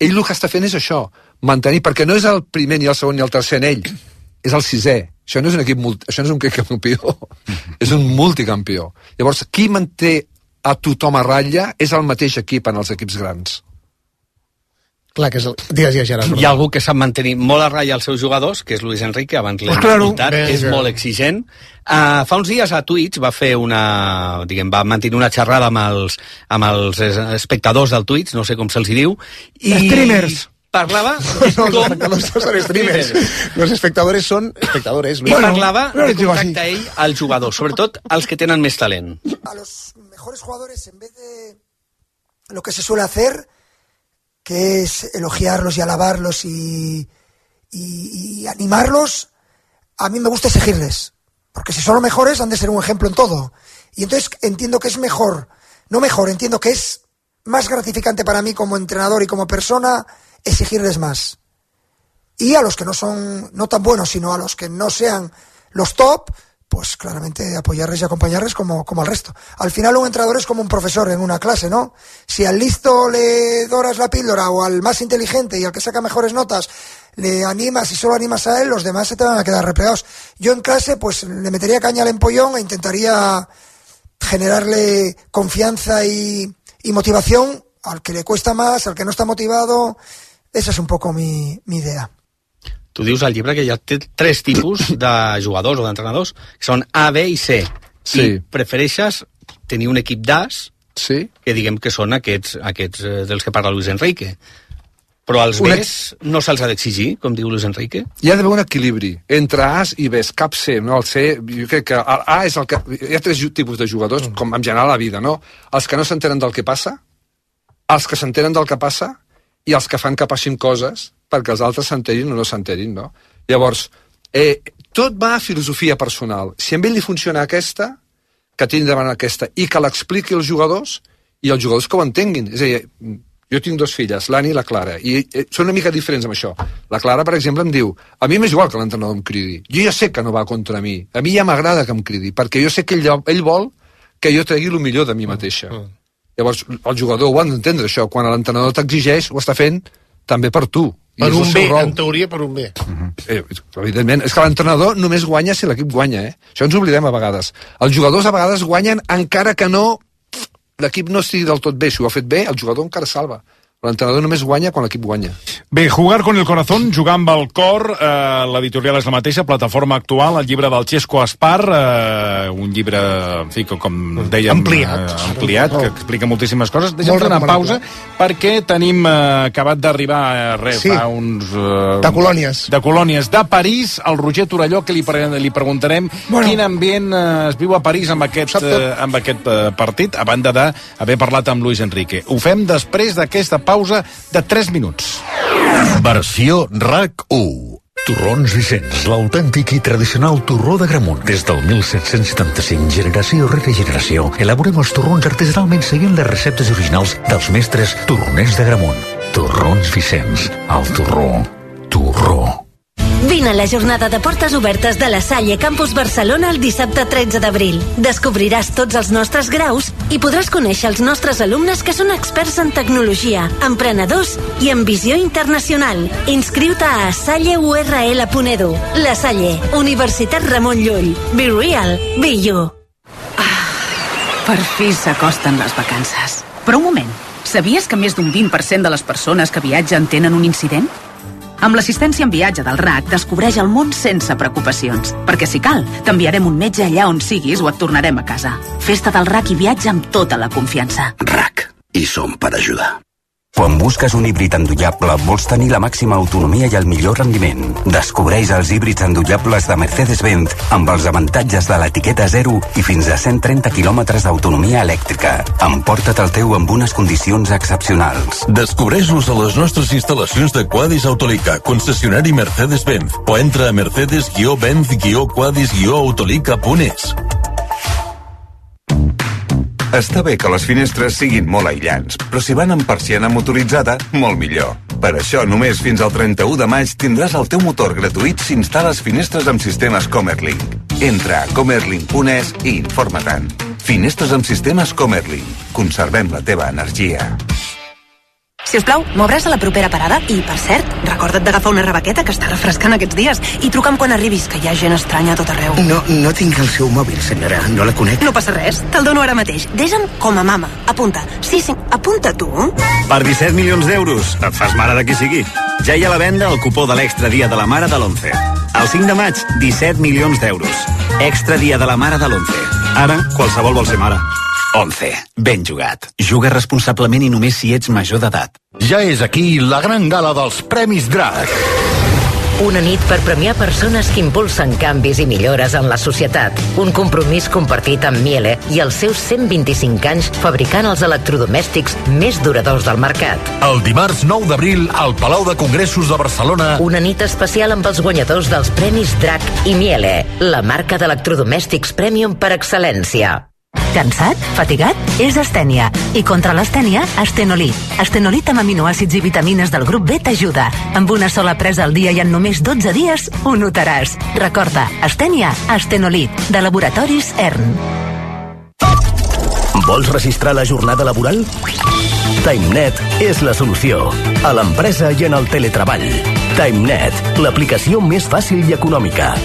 Ell el que està fent és això, mantenir, perquè no és el primer ni el segon ni el tercer en ell, és el sisè. Això no és un equip multi, això no és un equip campió, és un multicampió. Llavors, qui manté a tothom a ratlla és el mateix equip en els equips grans. Clar, que és el... Digues, ja, Gerard. Hi ha algú que sap mantenir molt a ratlla els seus jugadors, que és Luis Enrique, abans l'hem pues claro, escoltat, és molt exigent. Uh, fa uns dies a Twitch va fer una... diguem, va mantenir una xerrada amb els, amb els espectadors del Twitch, no sé com se'ls diu, i... Streamers. Parlava... No, los espectadores no son streamers. Los espectadores son espectadores. I parlava de com tracta ell al jugador, sobretot els que tenen més talent. A los mejores jugadores, en vez de lo que se suele hacer, que es elogiarlos y alabarlos y, y, y animarlos, a mí me gusta exigirles, porque si son los mejores han de ser un ejemplo en todo, y entonces entiendo que es mejor, no mejor, entiendo que es más gratificante para mí como entrenador y como persona exigirles más, y a los que no son no tan buenos, sino a los que no sean los top, pues claramente apoyarles y acompañarles como, como al resto. Al final un entrenador es como un profesor en una clase, ¿no? Si al listo le doras la píldora o al más inteligente y al que saca mejores notas le animas y solo animas a él, los demás se te van a quedar replegados. Yo en clase pues le metería caña al empollón e intentaría generarle confianza y, y motivación al que le cuesta más, al que no está motivado. Esa es un poco mi, mi idea. Tu dius al llibre que hi ha tres tipus de jugadors o d'entrenadors, que són A, B i C. Sí. I prefereixes tenir un equip d'As, sí. que diguem que són aquests, aquests dels que parla Luis Enrique. Però als Una... Bs no se'ls ha d'exigir, com diu Luis Enrique? Hi ha d'haver un equilibri entre As i Bs, cap C, no? El C, jo crec que el A és el que... Hi ha tres tipus de jugadors, mm. com en general a la vida, no? Els que no s'entenen del que passa, els que s'entenen del que passa i els que fan que passin coses perquè els altres s'enterin o no s'enterin, no? Llavors, eh, tot va a filosofia personal. Si a ell li funciona aquesta, que tingui davant aquesta, i que l'expliqui als jugadors, i els jugadors que ho entenguin. És a dir, Jo tinc dos filles, l'Anna i la Clara, i eh, són una mica diferents amb això. La Clara, per exemple, em diu, a mi m'és igual que l'entrenador em cridi. Jo ja sé que no va contra mi. A mi ja m'agrada que em cridi, perquè jo sé que ell, ell vol que jo tregui el millor de mi mateixa. Mm. Llavors, el jugador ho ha d'entendre, això. Quan l'entrenador t'exigeix, ho està fent també per tu. Per un bé, en teoria per un bé. Uh-huh. eh, evidentment, és que l'entrenador només guanya si l'equip guanya, eh? Això ens oblidem a vegades. Els jugadors a vegades guanyen encara que no l'equip no estigui del tot bé. Si ho ha fet bé, el jugador encara salva. L'entrenador només guanya quan l'equip guanya. Bé, Jugar con el corazón, jugar amb el cor, eh, l'editorial és la mateixa, plataforma actual, el llibre del Xesco Aspar, eh, un llibre, en fi, com dèiem, ampliat, eh, ampliat que explica moltíssimes coses. Deixa'm fer una pausa, perquè tenim eh, acabat d'arribar eh, res, sí. fa uns... Eh, de colònies. De colònies de París, al Roger Torelló, que li, pre li preguntarem bueno. quin ambient eh, es viu a París amb aquest, eh, amb aquest eh, partit, a banda d'haver parlat amb Luis Enrique. Ho fem després d'aquesta pausa de tres minuts. Versió R A C u. Torrons Vicenç, l'autèntic i tradicional torró d'Agramunt. Des del mil set-cents setanta-cinc, generació rere generació, elaborem els torrons artesanalment seguint les receptes originals dels mestres torroners d'Agramunt. Torrons Vicenç, el torró, torró. Vine a la jornada de portes obertes de la Salle Campus Barcelona el dissabte tretze d'abril. Descobriràs tots els nostres graus i podràs conèixer els nostres alumnes que són experts en tecnologia, emprenedors i en visió internacional. Inscriu-te a salle u erre ele punt edu. La Salle, Universitat Ramon Llull. Be real, be you. Ah, per fi s'acosten les vacances. Però un moment, sabies que més d'un vint per cent de les persones que viatgen tenen un incident? Amb l'assistència en viatge del R A C descobreix el món sense preocupacions. Perquè si cal, t'enviarem un metge allà on siguis o et tornarem a casa. Festa del R A C i viatja amb tota la confiança. R A C. I som per ajudar. Quan busques un híbrid endollable, vols tenir la màxima autonomia i el millor rendiment. Descobreix els híbrids endollables de Mercedes-Benz amb els avantatges de l'etiqueta zero i fins a cent trenta quilòmetres d'autonomia elèctrica. Emporta't el teu amb unes condicions excepcionals. Descobreix-los a les nostres instal·lacions de Quadis Autolica, concessionari Mercedes-Benz, o entra a mercedes benz quadis autolica punt es. Està bé que les finestres siguin molt aïllants, però si van amb persiana motoritzada, molt millor. Per això, només fins al trenta-u de maig tindràs el teu motor gratuït si instal·les finestres amb sistemes Comerlink. Entra a comerlink punt es i informa-te'n. Finestres amb sistemes Comerlink. Conservem la teva energia. Si us plau, m'obràs a la propera parada? I, per cert, recorda't d'agafar una rebaqueta que està refrescant aquests dies i truca'm quan arribis, que hi ha gent estranya a tot arreu. No, no tinc el seu mòbil, senyora. No la conec. No passa res, te'l dono ara mateix. Desa'm com a mama. Apunta. Sí, sí, apunta tu. Per disset milions d'euros, et fas mare de qui sigui. Ja hi ha a la venda el cupó de l'Extra Dia de la Mare de l'onze. El cinc de maig, disset milions d'euros. Extra Dia de la Mare de l'onze. Ara, qualsevol vol ser mare. onze. Ben jugat. Juga responsablement i només si ets major d'edat. Ja és aquí la gran gala dels Premis Drac. Una nit per premiar persones que impulsen canvis i millores en la societat. Un compromís compartit amb Miele i els seus cent vint-i-cinc anys fabricant els electrodomèstics més duradors del mercat. El dimarts nou d'abril al Palau de Congressos de Barcelona. Una nit especial amb els guanyadors dels Premis Drac i Miele, la marca d'electrodomèstics premium per excel·lència. Cansat? Fatigat? És astènia. I contra l'astènia, Astenolit. Astenolit amb aminoàcids i vitamines del grup B t'ajuda. Amb una sola presa al dia i en només dotze dies ho notaràs. Recorda, astènia, Astenolit, de Laboratoris E R N. Vols registrar la jornada laboral? TimeNet és la solució. A l'empresa i en el teletreball. TimeNet, l'aplicació més fàcil i econòmica.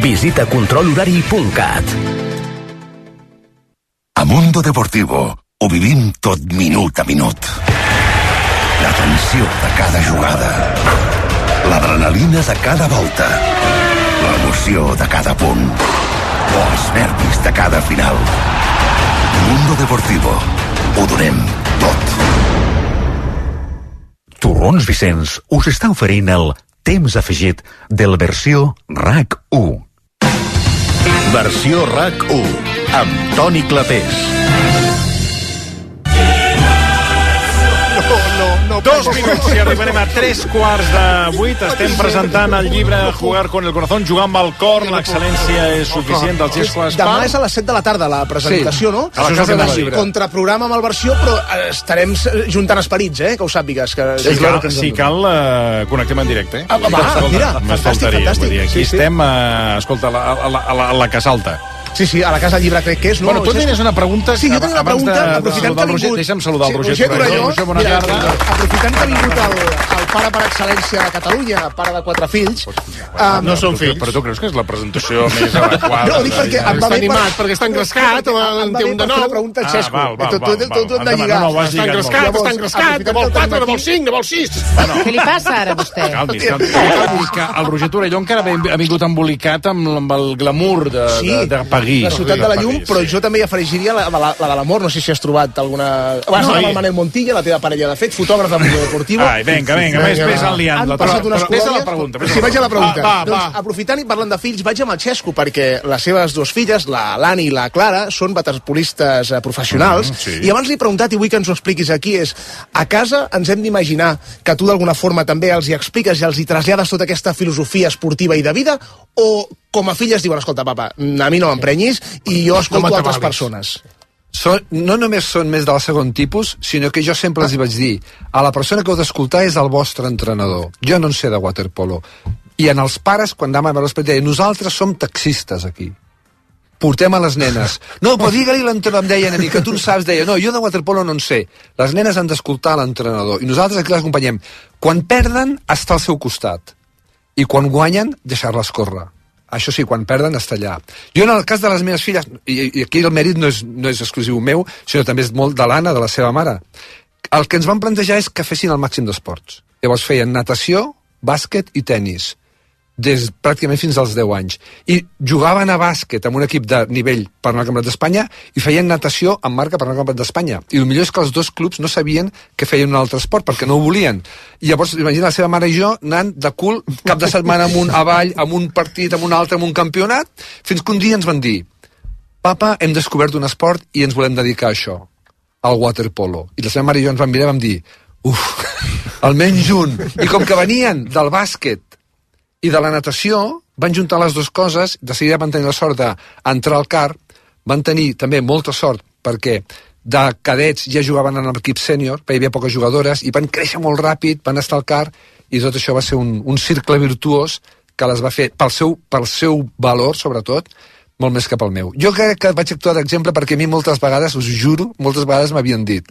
Visita control horari punt cat. A Mundo Deportivo ho vivim tot minut a minut. La tensió de cada jugada, l'adrenalina de cada volta, l'emoció de cada punt o els nervis de cada final. Mundo Deportivo, ho donem tot. Torrons Vicenç us està oferint el temps afegit del versió R A C u. Versió R A C u amb Toni Clapés. No, no, no. dos minuts i arribarem a tres quarts de vuit. Estem presentant el llibre Jugar con el corazón, jugar amb el cor, l'excel·lència és suficient del Xesco Espar. Demà és a les set de la tarda la presentació, Sí. no? A la Casa del Llibre. Contraprograma amb el versió, però estarem juntant esperits, eh? Que ho sàpigues. Que Si cal, si cal uh, connectem en directe. Eh? Ah, va, mira, M'es fantàstic, faltaria. fantàstic. Vull dir, aquí Sí, sí. estem, uh, escolta, a la, a, la, a, la, a la Casa Alta. Sí, sí, a la Casa del Llibre crec que és, no? Bueno, tu tenies una pregunta... Sí, jo tenia una abans pregunta, de, aprofitant de, que ha vingut... Deixa'm saludar el Roger, Roger Torelló. Roger, bona Mira, tarda. aprofitant que ha vingut el, el pare per excel·lència de Catalunya, pare de quatre fills... Um, No són fills. Però tu creus que és la presentació més adequada? No, ho dic perquè em va Està bé animat, per- perquè està engrescat, o em va té bé un per de fer nou. la pregunta al Ah, Xesco. val, val, Tu- tu- val, tu- val. tu et de Endavant, lligar. no, no, ho has Està lligat engrescat, molt. està engrescat, de vol quatre, de vol cinc, de vol sis. Què li passa ara a vostè? Calmis, calmis. Calmis, que el Roger Torelló encara ha vingut embolicat amb, amb el glamour de, Sí, de, de París. la ciutat de la llum, però jo també hi afegiria la, la, la de l'amor. No sé si has trobat alguna... Vas No, no, i- amb el Manel Montilla, la teva parella, de fet, fotògraf de Mundo Deportivo. Ai, vinga, vinga, més, més enliant. Han La- passat unes però- però- Ves a la colònies. pregunta. ves a Sí, la vaig a la pregunta. Va, va, doncs, va. aprofitant i parlant de fills, vaig amb el Xesco, perquè les seves dues filles, la Lani i la Clara, són waterpolistes eh, professionals, Mm, sí. i abans li he preguntat, i vull que ens ho expliquis aquí, és, a casa ens hem d'imaginar que tu d'alguna forma també els hi expliques i els hi trasllades tota aquesta filosofia esportiva i de vida, o com a filles diuen, escolta, papa, a mi no m'emprenyis i jo escolto No altres m'atabalis. persones. Són, no només són més del segon tipus, sinó que jo sempre els hi vaig dir, a la persona que heu d'escoltar és el vostre entrenador. Jo no en sé de waterpolo. I en els pares, quan anàvem a veure l'esport, deien, nosaltres som taxistes aquí. Portem a les nenes. No, però digue-li l'entrenador, em deien a mi, que tu en saps, deia, no, jo de waterpolo no en sé. Les nenes han d'escoltar l'entrenador. I nosaltres aquí les acompanyem. Quan perden, està al seu costat. I quan guanyen, deixar-les córrer. Això sí, quan perden, està allà. Jo, en el cas de les meves filles, i, i aquí el mèrit no és, no és exclusiu meu, sinó també és molt de l'Anna, de la seva mare, el que ens van plantejar és que fessin el màxim d'esports. Llavors feien natació, bàsquet i tennis, des pràcticament fins als deu anys. I jugaven a bàsquet amb un equip de nivell per anar al Campionat d'Espanya i feien natació amb marca per anar al Campionat d'Espanya. I el millor és que els dos clubs no sabien que feien un altre esport, perquè no ho volien. I llavors, imagina la seva mare i jo anant de cul cap de setmana amunt, avall, amb un partit, amb un altre, amb un campionat, fins que un dia ens van dir, papa, hem descobert un esport i ens volem dedicar a això, al waterpolo. I la seva mare i jo ens vam mirar i vam dir, uf, almenys un. I com que venien del bàsquet i de la natació, van juntar les dues coses, de seguida van tenir la sort d'entrar al C A R, van tenir també molta sort perquè de cadets ja jugaven en l'equip sènior, perquè hi havia poques jugadores, i van créixer molt ràpid, van estar al C A R, i tot això va ser un, un cercle virtuós que les va fer, pel seu, pel seu valor, sobretot, molt més que pel meu. Jo crec que vaig actuar d'exemple perquè a mi moltes vegades, us juro, moltes vegades m'havien dit,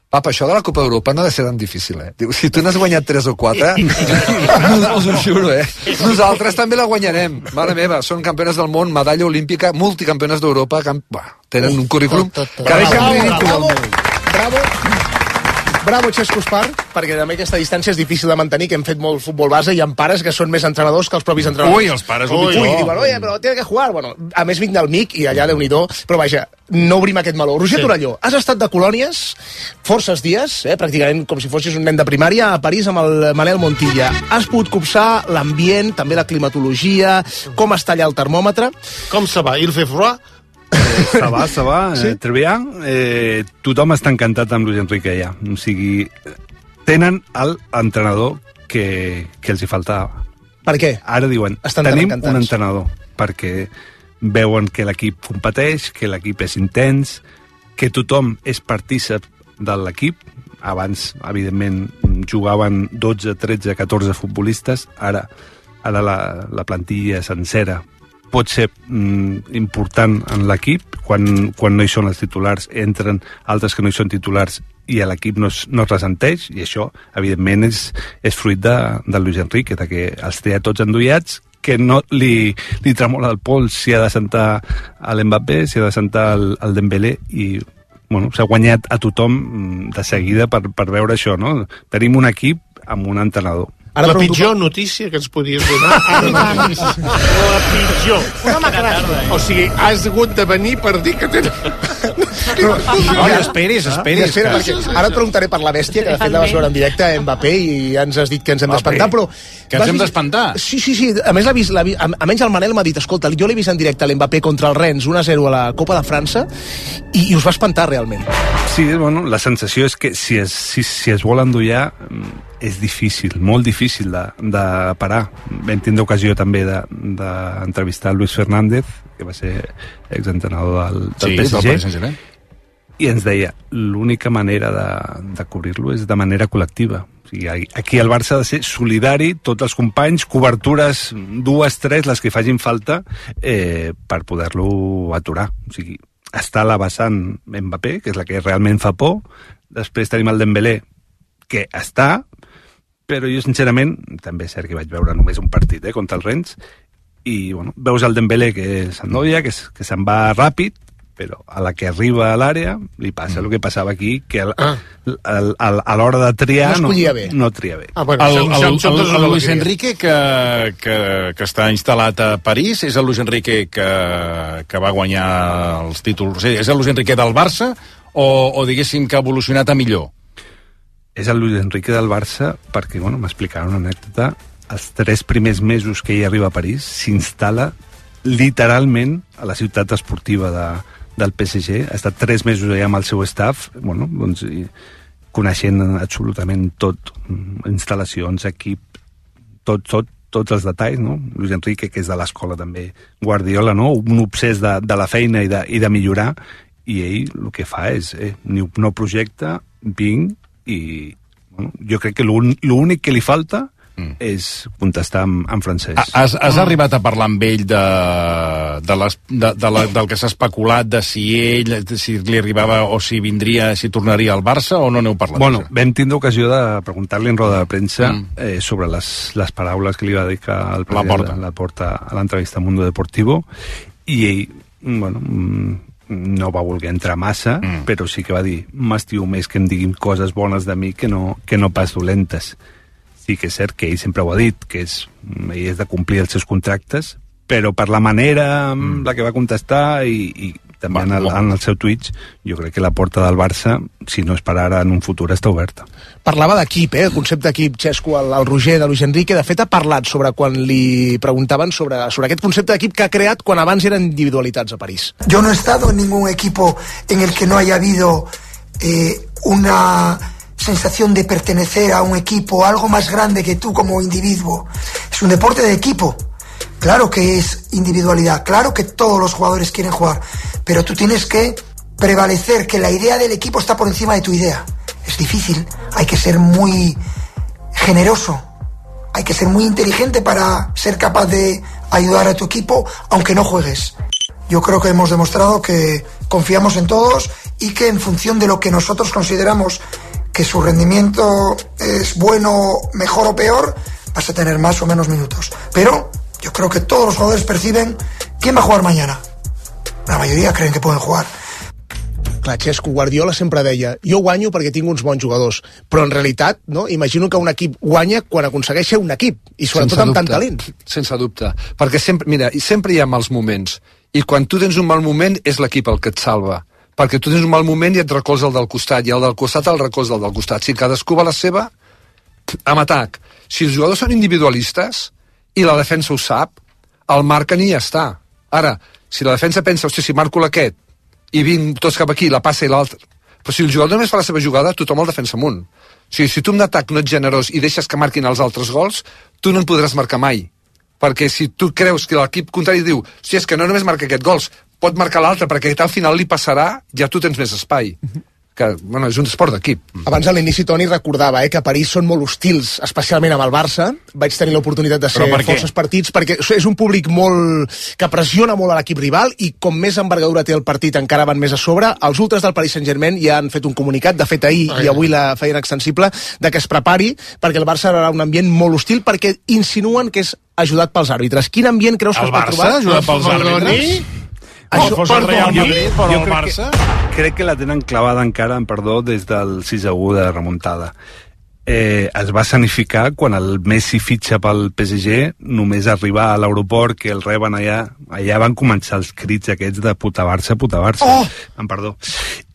papa, això de la Copa d'Europa no ha de ser tan difícil, eh? Diu, si tu n'has guanyat tres o quatre, us ho juro, eh? Nosaltres també la guanyarem. Mare meva, són campiones del món, medalla olímpica, multicampiones d'Europa, camp... Bah, tenen un currículum que deixen ridícul al meu. Bravo, bravo Xesco Espar, perquè també aquesta distància és difícil de mantenir, que hem fet molt futbol base i hi ha pares que són més entrenadors que els propis entrenadors. Ui, els pares, Ui, el pitjor. ui, diuen, oye, però tiene que jugar. Bueno, a més vinc del M I C i allà, Déu-n'hi-do, però vaja, no obrim aquest meló. Roger Sí. Torelló, has estat de colònies forces dies, eh, pràcticament com si fossis un nen de primària, a París amb el Manel Montilla. Has pogut copsar l'ambient, també la climatologia, com està allà el termòmetre? Com se va? Il fait froid? Ça va, ça va, Sí? eh, très bien. Eh, tothom està encantat amb Luis Enrique ja. O sigui, tenen l'entrenador que, que els hi faltava. Per què? Ara diuen, Estan tan tenim encantats. un entrenador, perquè veuen que l'equip competeix, que l'equip és intens, que tothom és partícip de l'equip. Abans, evidentment, jugaven dotze, tretze, catorze futbolistes. Ara, ara la, la plantilla sencera pot ser mm, important en l'equip. Quan, quan no hi són els titulars, entren altres que no hi són titulars i l'equip no, es, no es ressenteix, i això, evidentment, és, és fruit de, de Luis Enrique, de que els té a tots endollats, que no li, li tremola el pols si ha de sentar a l'Mbappé, si ha de sentar el, el Dembélé, i bueno, s'ha guanyat a tothom mm, de seguida per, per veure això, no? Tenim un equip amb un entrenador. Ara la pitjor com... notícia que ens podies donar ara mateix. La pitjor. Una macràcia. O sigui, has hagut de venir per dir que tenen... No, esperis, esperis. Espera, perquè ara et preguntaré per la bèstia, que de fet la vas veure en directe a Mbappé i ja ens has dit que ens hem d'espantar, però... Que ens hem d'espantar? Sí, sí, sí. A més, l'ha vist, l'ha vist, almenys el Manel m'ha dit, escolta, jo l'he vist en directe a l'Mbappé contra el Rennes un a zero a la Copa de França i, i us va espantar realment. Sí, bueno, la sensació és que si es, si, si es vol endollar és difícil, molt difícil de, de parar. Vam tindre ocasió també d'entrevistar de, Luis Fernández, que va ser exentrenador del, del sí, P S G, del Paris Saint-Germain, i ens deia, l'única manera de, de cobrir-lo és de manera col·lectiva. O sigui, aquí el Barça ha de ser solidari, tots els companys, cobertures, dues, tres, les que facin falta, eh, per poder-lo aturar. O sigui, està la vessant Mbappé, que és la que realment fa por, després tenim el Dembélé, que està, però jo sincerament, també és cert que vaig veure només un partit eh, contra el Rennes, i bueno, veus el Dembélé que s'endolla, que, que se'n va ràpid, però a la que arriba a l'àrea li passa el que passava aquí, que el, ah. el, el, el, a l'hora de triar no, no, bé. no tria bé. Ah, bueno, el, el, el, el, el Luis Enrique que, que, que està instal·lat a París és el Luis Enrique que, que va guanyar els títols, és el Luis Enrique del Barça o, o diguéssim que ha evolucionat a millor? És el Luis Enrique del Barça perquè, bueno, m'explicaven una anècdota, els tres primers mesos que ell arriba a París s'instal·la literalment a la ciutat esportiva de, del P S G, ha estat tres mesos allà amb el seu staff, bueno, doncs, i, coneixent absolutament tot, instal·lacions, equip, tot, tot, tots els detalls, no? Luis Enrique, que és de l'escola també, Guardiola, no? Un obsès de, de la feina i de, i de millorar, i ell el que fa és, eh, no projecte, vinc, i bueno, jo crec que l'únic que li falta mm. és contestar en, en francès. Has, has mm. arribat a parlar amb ell de, de les, de, de la, del que s'ha especulat, de si ell, si li arribava o si vindria, si tornaria al Barça, o no n'heu parlat? Bueno, vam tindre ocasió de preguntar-li en roda de premsa mm. eh, sobre les, les paraules que li va dedicar al la porta. la porta a l'entrevista a Mundo Deportivo, i ell, bueno, no va voler entrar massa, mm. però sí que va dir, m'estimo més que em diguin coses bones de mi que no, que no pas dolentes. Sí que és cert que ell sempre ho ha dit, que és, ell és de complir els seus contractes, però per la manera amb la que va contestar i, i també en el, en el seu Twitch, jo crec que la porta del Barça, si no és per ara, en un futur està oberta. Parlava d'equip, eh? El concepte d'equip, Xesco, el, el Roger de Luis Enrique, de fet ha parlat sobre quan li preguntaven sobre, sobre aquest concepte d'equip que ha creat quan abans eren individualitats a París. Yo no he estado en ningún equipo en el que no haya habido eh, una sensación de pertenecer a un equipo, algo más grande que tú como individuo. Es un deporte de equipo. Claro que es individualidad, claro que todos los jugadores quieren jugar, pero tú tienes que prevalecer que la idea del equipo está por encima de tu idea. Es difícil, hay que ser muy generoso, hay que ser muy inteligente para ser capaz de ayudar a tu equipo aunque no juegues. Yo creo que hemos demostrado que confiamos en todos y que en función de lo que nosotros consideramos que su rendimiento es bueno, mejor o peor, vas a tener más o menos minutos. Pero yo creo que todos los jugadores perciben quién va a jugar mañana. La mayoría creen que pueden jugar. Clar, Xesco, Guardiola sempre deia, jo guanyo perquè tinc uns bons jugadors, però en realitat, no, imagino que un equip guanya quan aconsegueix ser un equip, i sobretot amb tant talent. Sense dubte, perquè sempre, mira, sempre hi ha mals moments, i quan tu tens un mal moment és l'equip el que et salva, perquè tu tens un mal moment i et recolza el del costat, i el del costat el recolza el del costat. Si cadascú va a la seva, amb atac. Si els jugadors són individualistes, i la defensa ho sap, el marquen i ja està. Ara, si la defensa pensa, hòstia, si marco l'aquest, i vinc tots cap aquí, la passa i l'altre... Però si el jugador només fa la seva jugada, tothom el defensa amunt. O sigui, si tu en atac no ets generós i deixes que marquin els altres gols, tu no en podràs marcar mai. Perquè si tu creus que l'equip contrari diu, hòstia, és que no només marca aquest gols, pot marcar l'altre, perquè al final li passarà, ja tu tens més espai. Que, bueno, és un esport d'equip. Abans a l'inici Toni recordava eh, que a París són molt hostils, especialment amb el Barça. Vaig tenir l'oportunitat de ser forces partits, perquè és un públic molt que pressiona molt a l'equip rival, i com més envergadura té el partit encara van més a sobre. Els ultres del Paris Saint-Germain ja han fet un comunicat, de fet ahir Ai. i avui la feien extensible, de que es prepari, perquè el Barça serà un ambient molt hostil, perquè insinuen que és ajudat pels àrbitres. Quin ambient creus que el es pot trobar? El Barça ajudat pels àrbitres? Això, fos el Real Madrid, però el Barça... Que, crec que la tenen clavada encara, en perdó, des del sis a u de remuntada. eh, es va sanificar quan el Messi fitxa pel P S G, només arribar a l'aeroport que el reben allà, allà van començar els crits aquests de puta Barça, puta Barça, oh! em perdó.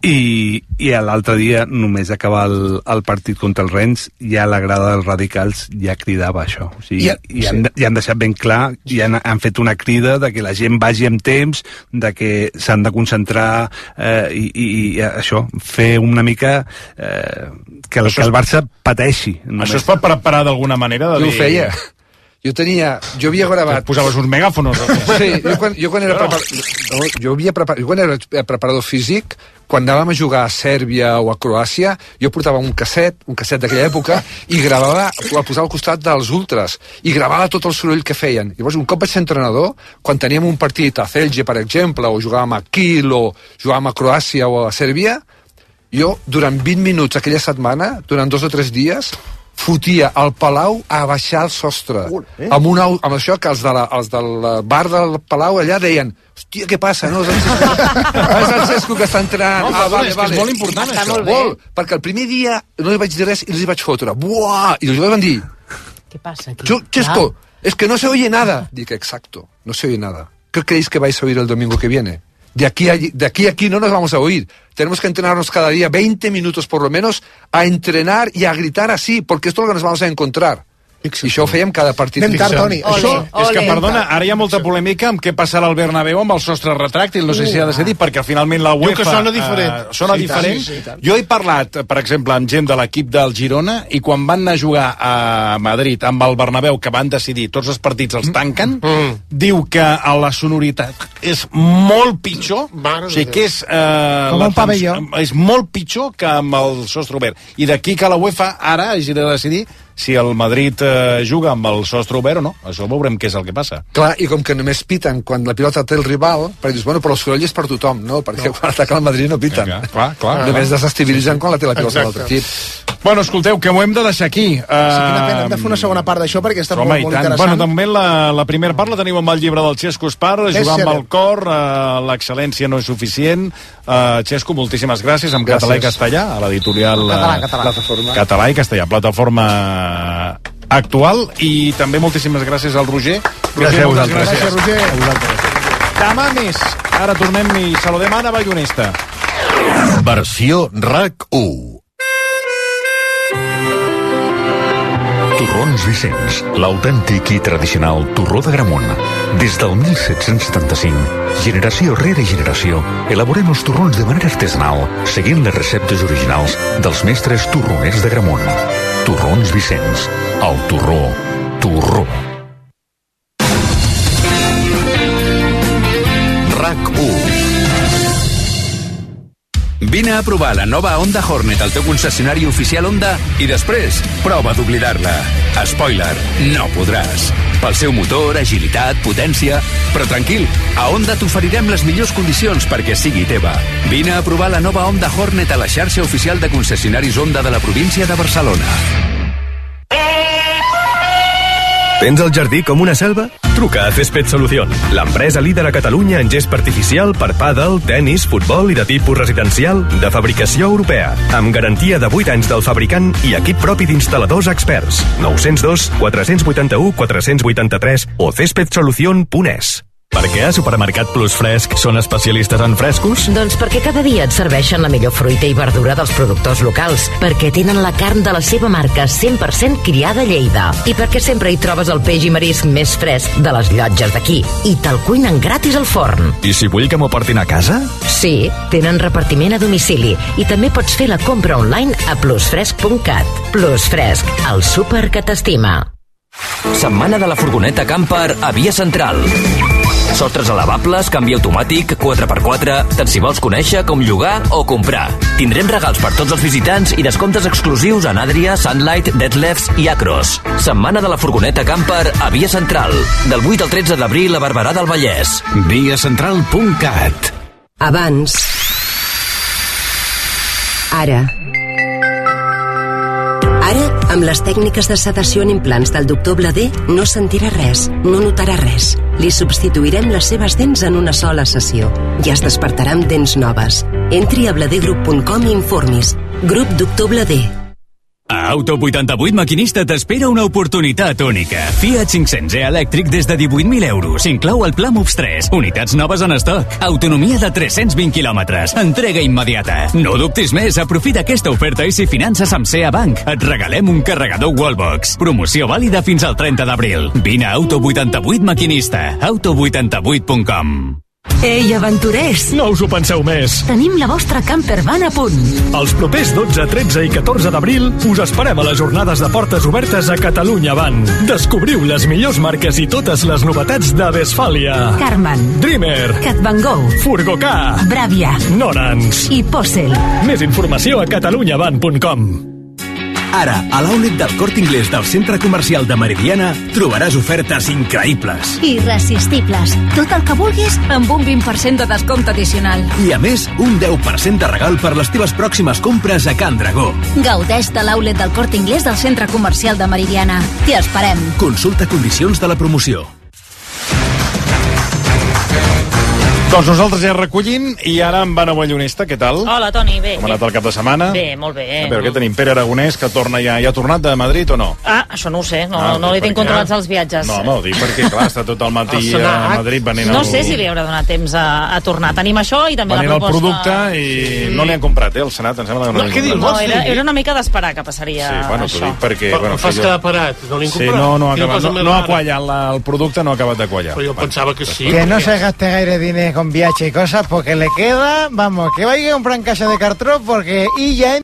I, i l'altre dia, només acabar el, el partit contra el Rennes, ja la grada dels radicals ja cridava això. O sigui, I, i, han, sí. i han deixat ben clar, i han, han fet una crida de que la gent vagi amb temps, de que s'han de concentrar eh, i, i, i això, fer una mica eh, que, el, que el Barça pateixi. Només. Això es pot preparar d'alguna manera? De jo dir... ho feia. Jo tenia... Jo havia gravat... Posaves uns megàfonos? Sí, jo quan, jo quan era preparador... Jo, havia prepar... jo quan era preparador físic, quan anàvem a jugar a Sèrbia o a Croàcia, jo portava un casset, un casset d'aquella època, i gravava, el posava al costat dels ultras, i gravava tot el soroll que feien. Llavors, un cop vaig ser entrenador, quan teníem un partit a Celje, per exemple, o jugàvem a Kiel, o jugàvem a Croàcia o a Sèrbia, jo, durant vint minuts aquella setmana, durant dos o tres dies, fotia al Palau a baixar el sostre. Eh? Amb, una, amb això que els, de la, els del bar del Palau allà deien, hòstia, què passa? No, és el Cesco, és el Cesco que està entrant. No, ah, vale, és, vale. És molt important, està això. Molt, perquè el primer dia no li vaig dir res i els hi vaig fotre. Buah! I els jugadors van dir... Què passa aquí? Cesco, ah. es que no se oye nada. Dic, exacto, no se oye nada. ¿Qué creéis que vais a oír el domingo que viene? De aquí, a, de aquí a aquí no nos vamos a oír. Tenemos que entrenarnos cada día veinte minutos por lo menos a entrenar y a gritar así, porque esto es lo que nos vamos a encontrar. I això ho fèiem cada partit. Anem tard, Toni. Això, és que, perdona, ara hi ha molta polèmica amb què passarà al Bernabéu amb el sostre retràctil, no sé si ha de ser dit, perquè finalment la UEFA... Diu que sona diferent. Uh, sona sí, diferent. Sí, sí, jo he parlat, per exemple, amb gent de l'equip del Girona, i quan van anar a jugar a Madrid amb el Bernabéu, que van decidir tots els partits els tanquen, mm. diu que a la sonoritat és molt pitjor, Mare o sigui que és... Uh, Com un pavelló. És molt pitjor que amb el sostre obert. I d'aquí que la UEFA ara hagi de decidir si el Madrid eh, juga amb el sostre obert o no. Això veurem què és el que passa. Clar, i com que només piten quan la pilota té el rival, perquè dius, bueno, però el soroll és per tothom, no? Perquè no. Quan ataca el Madrid no piten. Clar, clar, clar. Només desestabilitzen quan la té la pilota de l'altre equip. Bueno, escolteu, que ho hem de deixar aquí. Uh... Sí, quina pena, hem de fer una segona part d'això perquè està Home, molt, molt interessant. Bueno, també la, la primera part la teniu amb el llibre del Xesco Espar, jugar amb el cor, uh, l'excel·lència no és suficient. Uh, Xesco, moltíssimes gràcies, amb gràcies. Català i castellà, a l'editorial català, català. Plataforma. Català i castellà, plataforma actual, i també moltíssimes gràcies al Roger. Gràcies a vosaltres. Gràcies, Roger. Demà més. Ara tornem i saludem Anna Ballonesta. Versió R A C u. Torrons Vicenç, l'autèntic i tradicional torró d'Agramunt. Des del mil set-cents setanta-cinc, generació rere generació, elaborem els torrons de manera artesanal, seguint les receptes originals dels mestres torroners d'Agramunt. Torrons Vicenç, el torró, torró. R A C u. Vine a provar la nova Honda Hornet al teu concessionari oficial Honda i després prova d'oblidar-la. Spoiler, no podràs. Pel seu motor, agilitat, potència... Però tranquil, a Honda t'oferirem les millors condicions perquè sigui teva. Vine a provar la nova Honda Hornet a la xarxa oficial de concessionaris Honda de la província de Barcelona. Tens el jardí com una selva? Truca a Césped Solución, l'empresa líder a Catalunya en gespa artificial per pàdel, tenis, futbol i de tipus residencial de fabricació europea, amb garantia de vuit anys del fabricant i equip propi d'instal·ladors experts. nou zero dos, quatre vuit u, quatre vuit tres o césped solución punt es. Per què a Supermercat Plus Fresc són especialistes en frescos? Doncs perquè cada dia et serveixen la millor fruita i verdura dels productors locals, perquè tenen la carn de la seva marca cent per cent criada a Lleida, i perquè sempre hi trobes el peix i marisc més fresc de les llotges d'aquí, i te'l cuinen gratis al forn. I si vull que m'ho portin a casa? Sí, tenen repartiment a domicili, i també pots fer la compra online a plusfresc punt cat. Plus Fresc, el súper que t'estima. Setmana de la furgoneta camper a Via Central. Sostres elevables, canvi automàtic, quatre per quatre... Tant si vols conèixer com llogar o comprar. Tindrem regals per tots els visitants i descomptes exclusius en Adria, Sunlight, Detlefs i Acros. Setmana de la furgoneta camper a Via Central. Del vuit al tretze d'abril a Barberà del Vallès. via central punt cat. Abans. Ara. Ara, amb les tècniques de sedació en implants del doctor Bladé, no sentirà res, no notarà res. Li substituirem les seves dents en una sola sessió i es despertarà amb dents noves. Entri a bladegroup punt com i informis. Grup doctor Bladé. A Auto vuitanta-vuit Maquinista t'espera una oportunitat única. Fiat cinc-cents e elèctric des de divuit mil euros. Inclou el Pla Moves tres. Unitats noves en estoc. Autonomia de tres-cents vint quilòmetres. Entrega immediata. No dubtis més, aprofita aquesta oferta i si finances amb C E A Bank, et regalem un carregador Wallbox. Promoció vàlida fins al trenta d'abril. Vine a Auto vuitanta-vuit Maquinista. auto vuitanta-vuit punt com. Ei, aventurers! No us ho penseu més. Tenim la vostra campervan a punt. Els propers dotze, tretze i catorze d'abril us esperem a les jornades de portes obertes a Catalunya Van. Descobriu les millors marques i totes les novetats de Westfàlia. Carman, Dreamer, Cat Van Gogh, Furgocà, Bravia, Norans i Possel. Més informació a catalunya van punt com. Ara, a l'outlet del Corte Inglés del Centre Comercial de Meridiana trobaràs ofertes increïbles. Irresistibles. Tot el que vulguis amb un vint per cent de descompte addicional. I a més, un deu per cent de regal per les teves pròximes compres a Can Dragó. Gaudeix de l'outlet del Corte Inglés del Centre Comercial de Meridiana. T'hi esperem. Consulta condicions de la promoció. Doncs nosaltres ja recollint i ara amb Anna Ballonesta, què tal? Hola, Toni, bé. Com ha anat el cap de setmana? Bé, molt bé. A veure, què tenim? Pere Aragonès, que torna ja, ja ha tornat de Madrid o no? Ah, això no ho sé, no, Ah, no li per tinc què? controlats els viatges. No, home, ho dic perquè, clar, està tot el matí El a Senat. Madrid venint No el... sé si li haurà donat temps a, a tornar. Tenim això i també venint la el proposta... producte i no li han comprat, eh, el Senat, em sembla que no, No, li han comprat. no era, era una mica d'esperar que passaria Sí, bueno, t'ho això. dic perquè... Però bueno, em fas que jo- quedar parat, no li han Sí, comprat? no, no ha Quina acabat, cosa no, més no ha rara. quallat, la, el producte no ha acabat de quallar. Però jo pensava que sí. Que no se gaste gaire dinero con viaje y cosas porque le queda, vamos, que vaya a comprar en casa de cartró porque y ya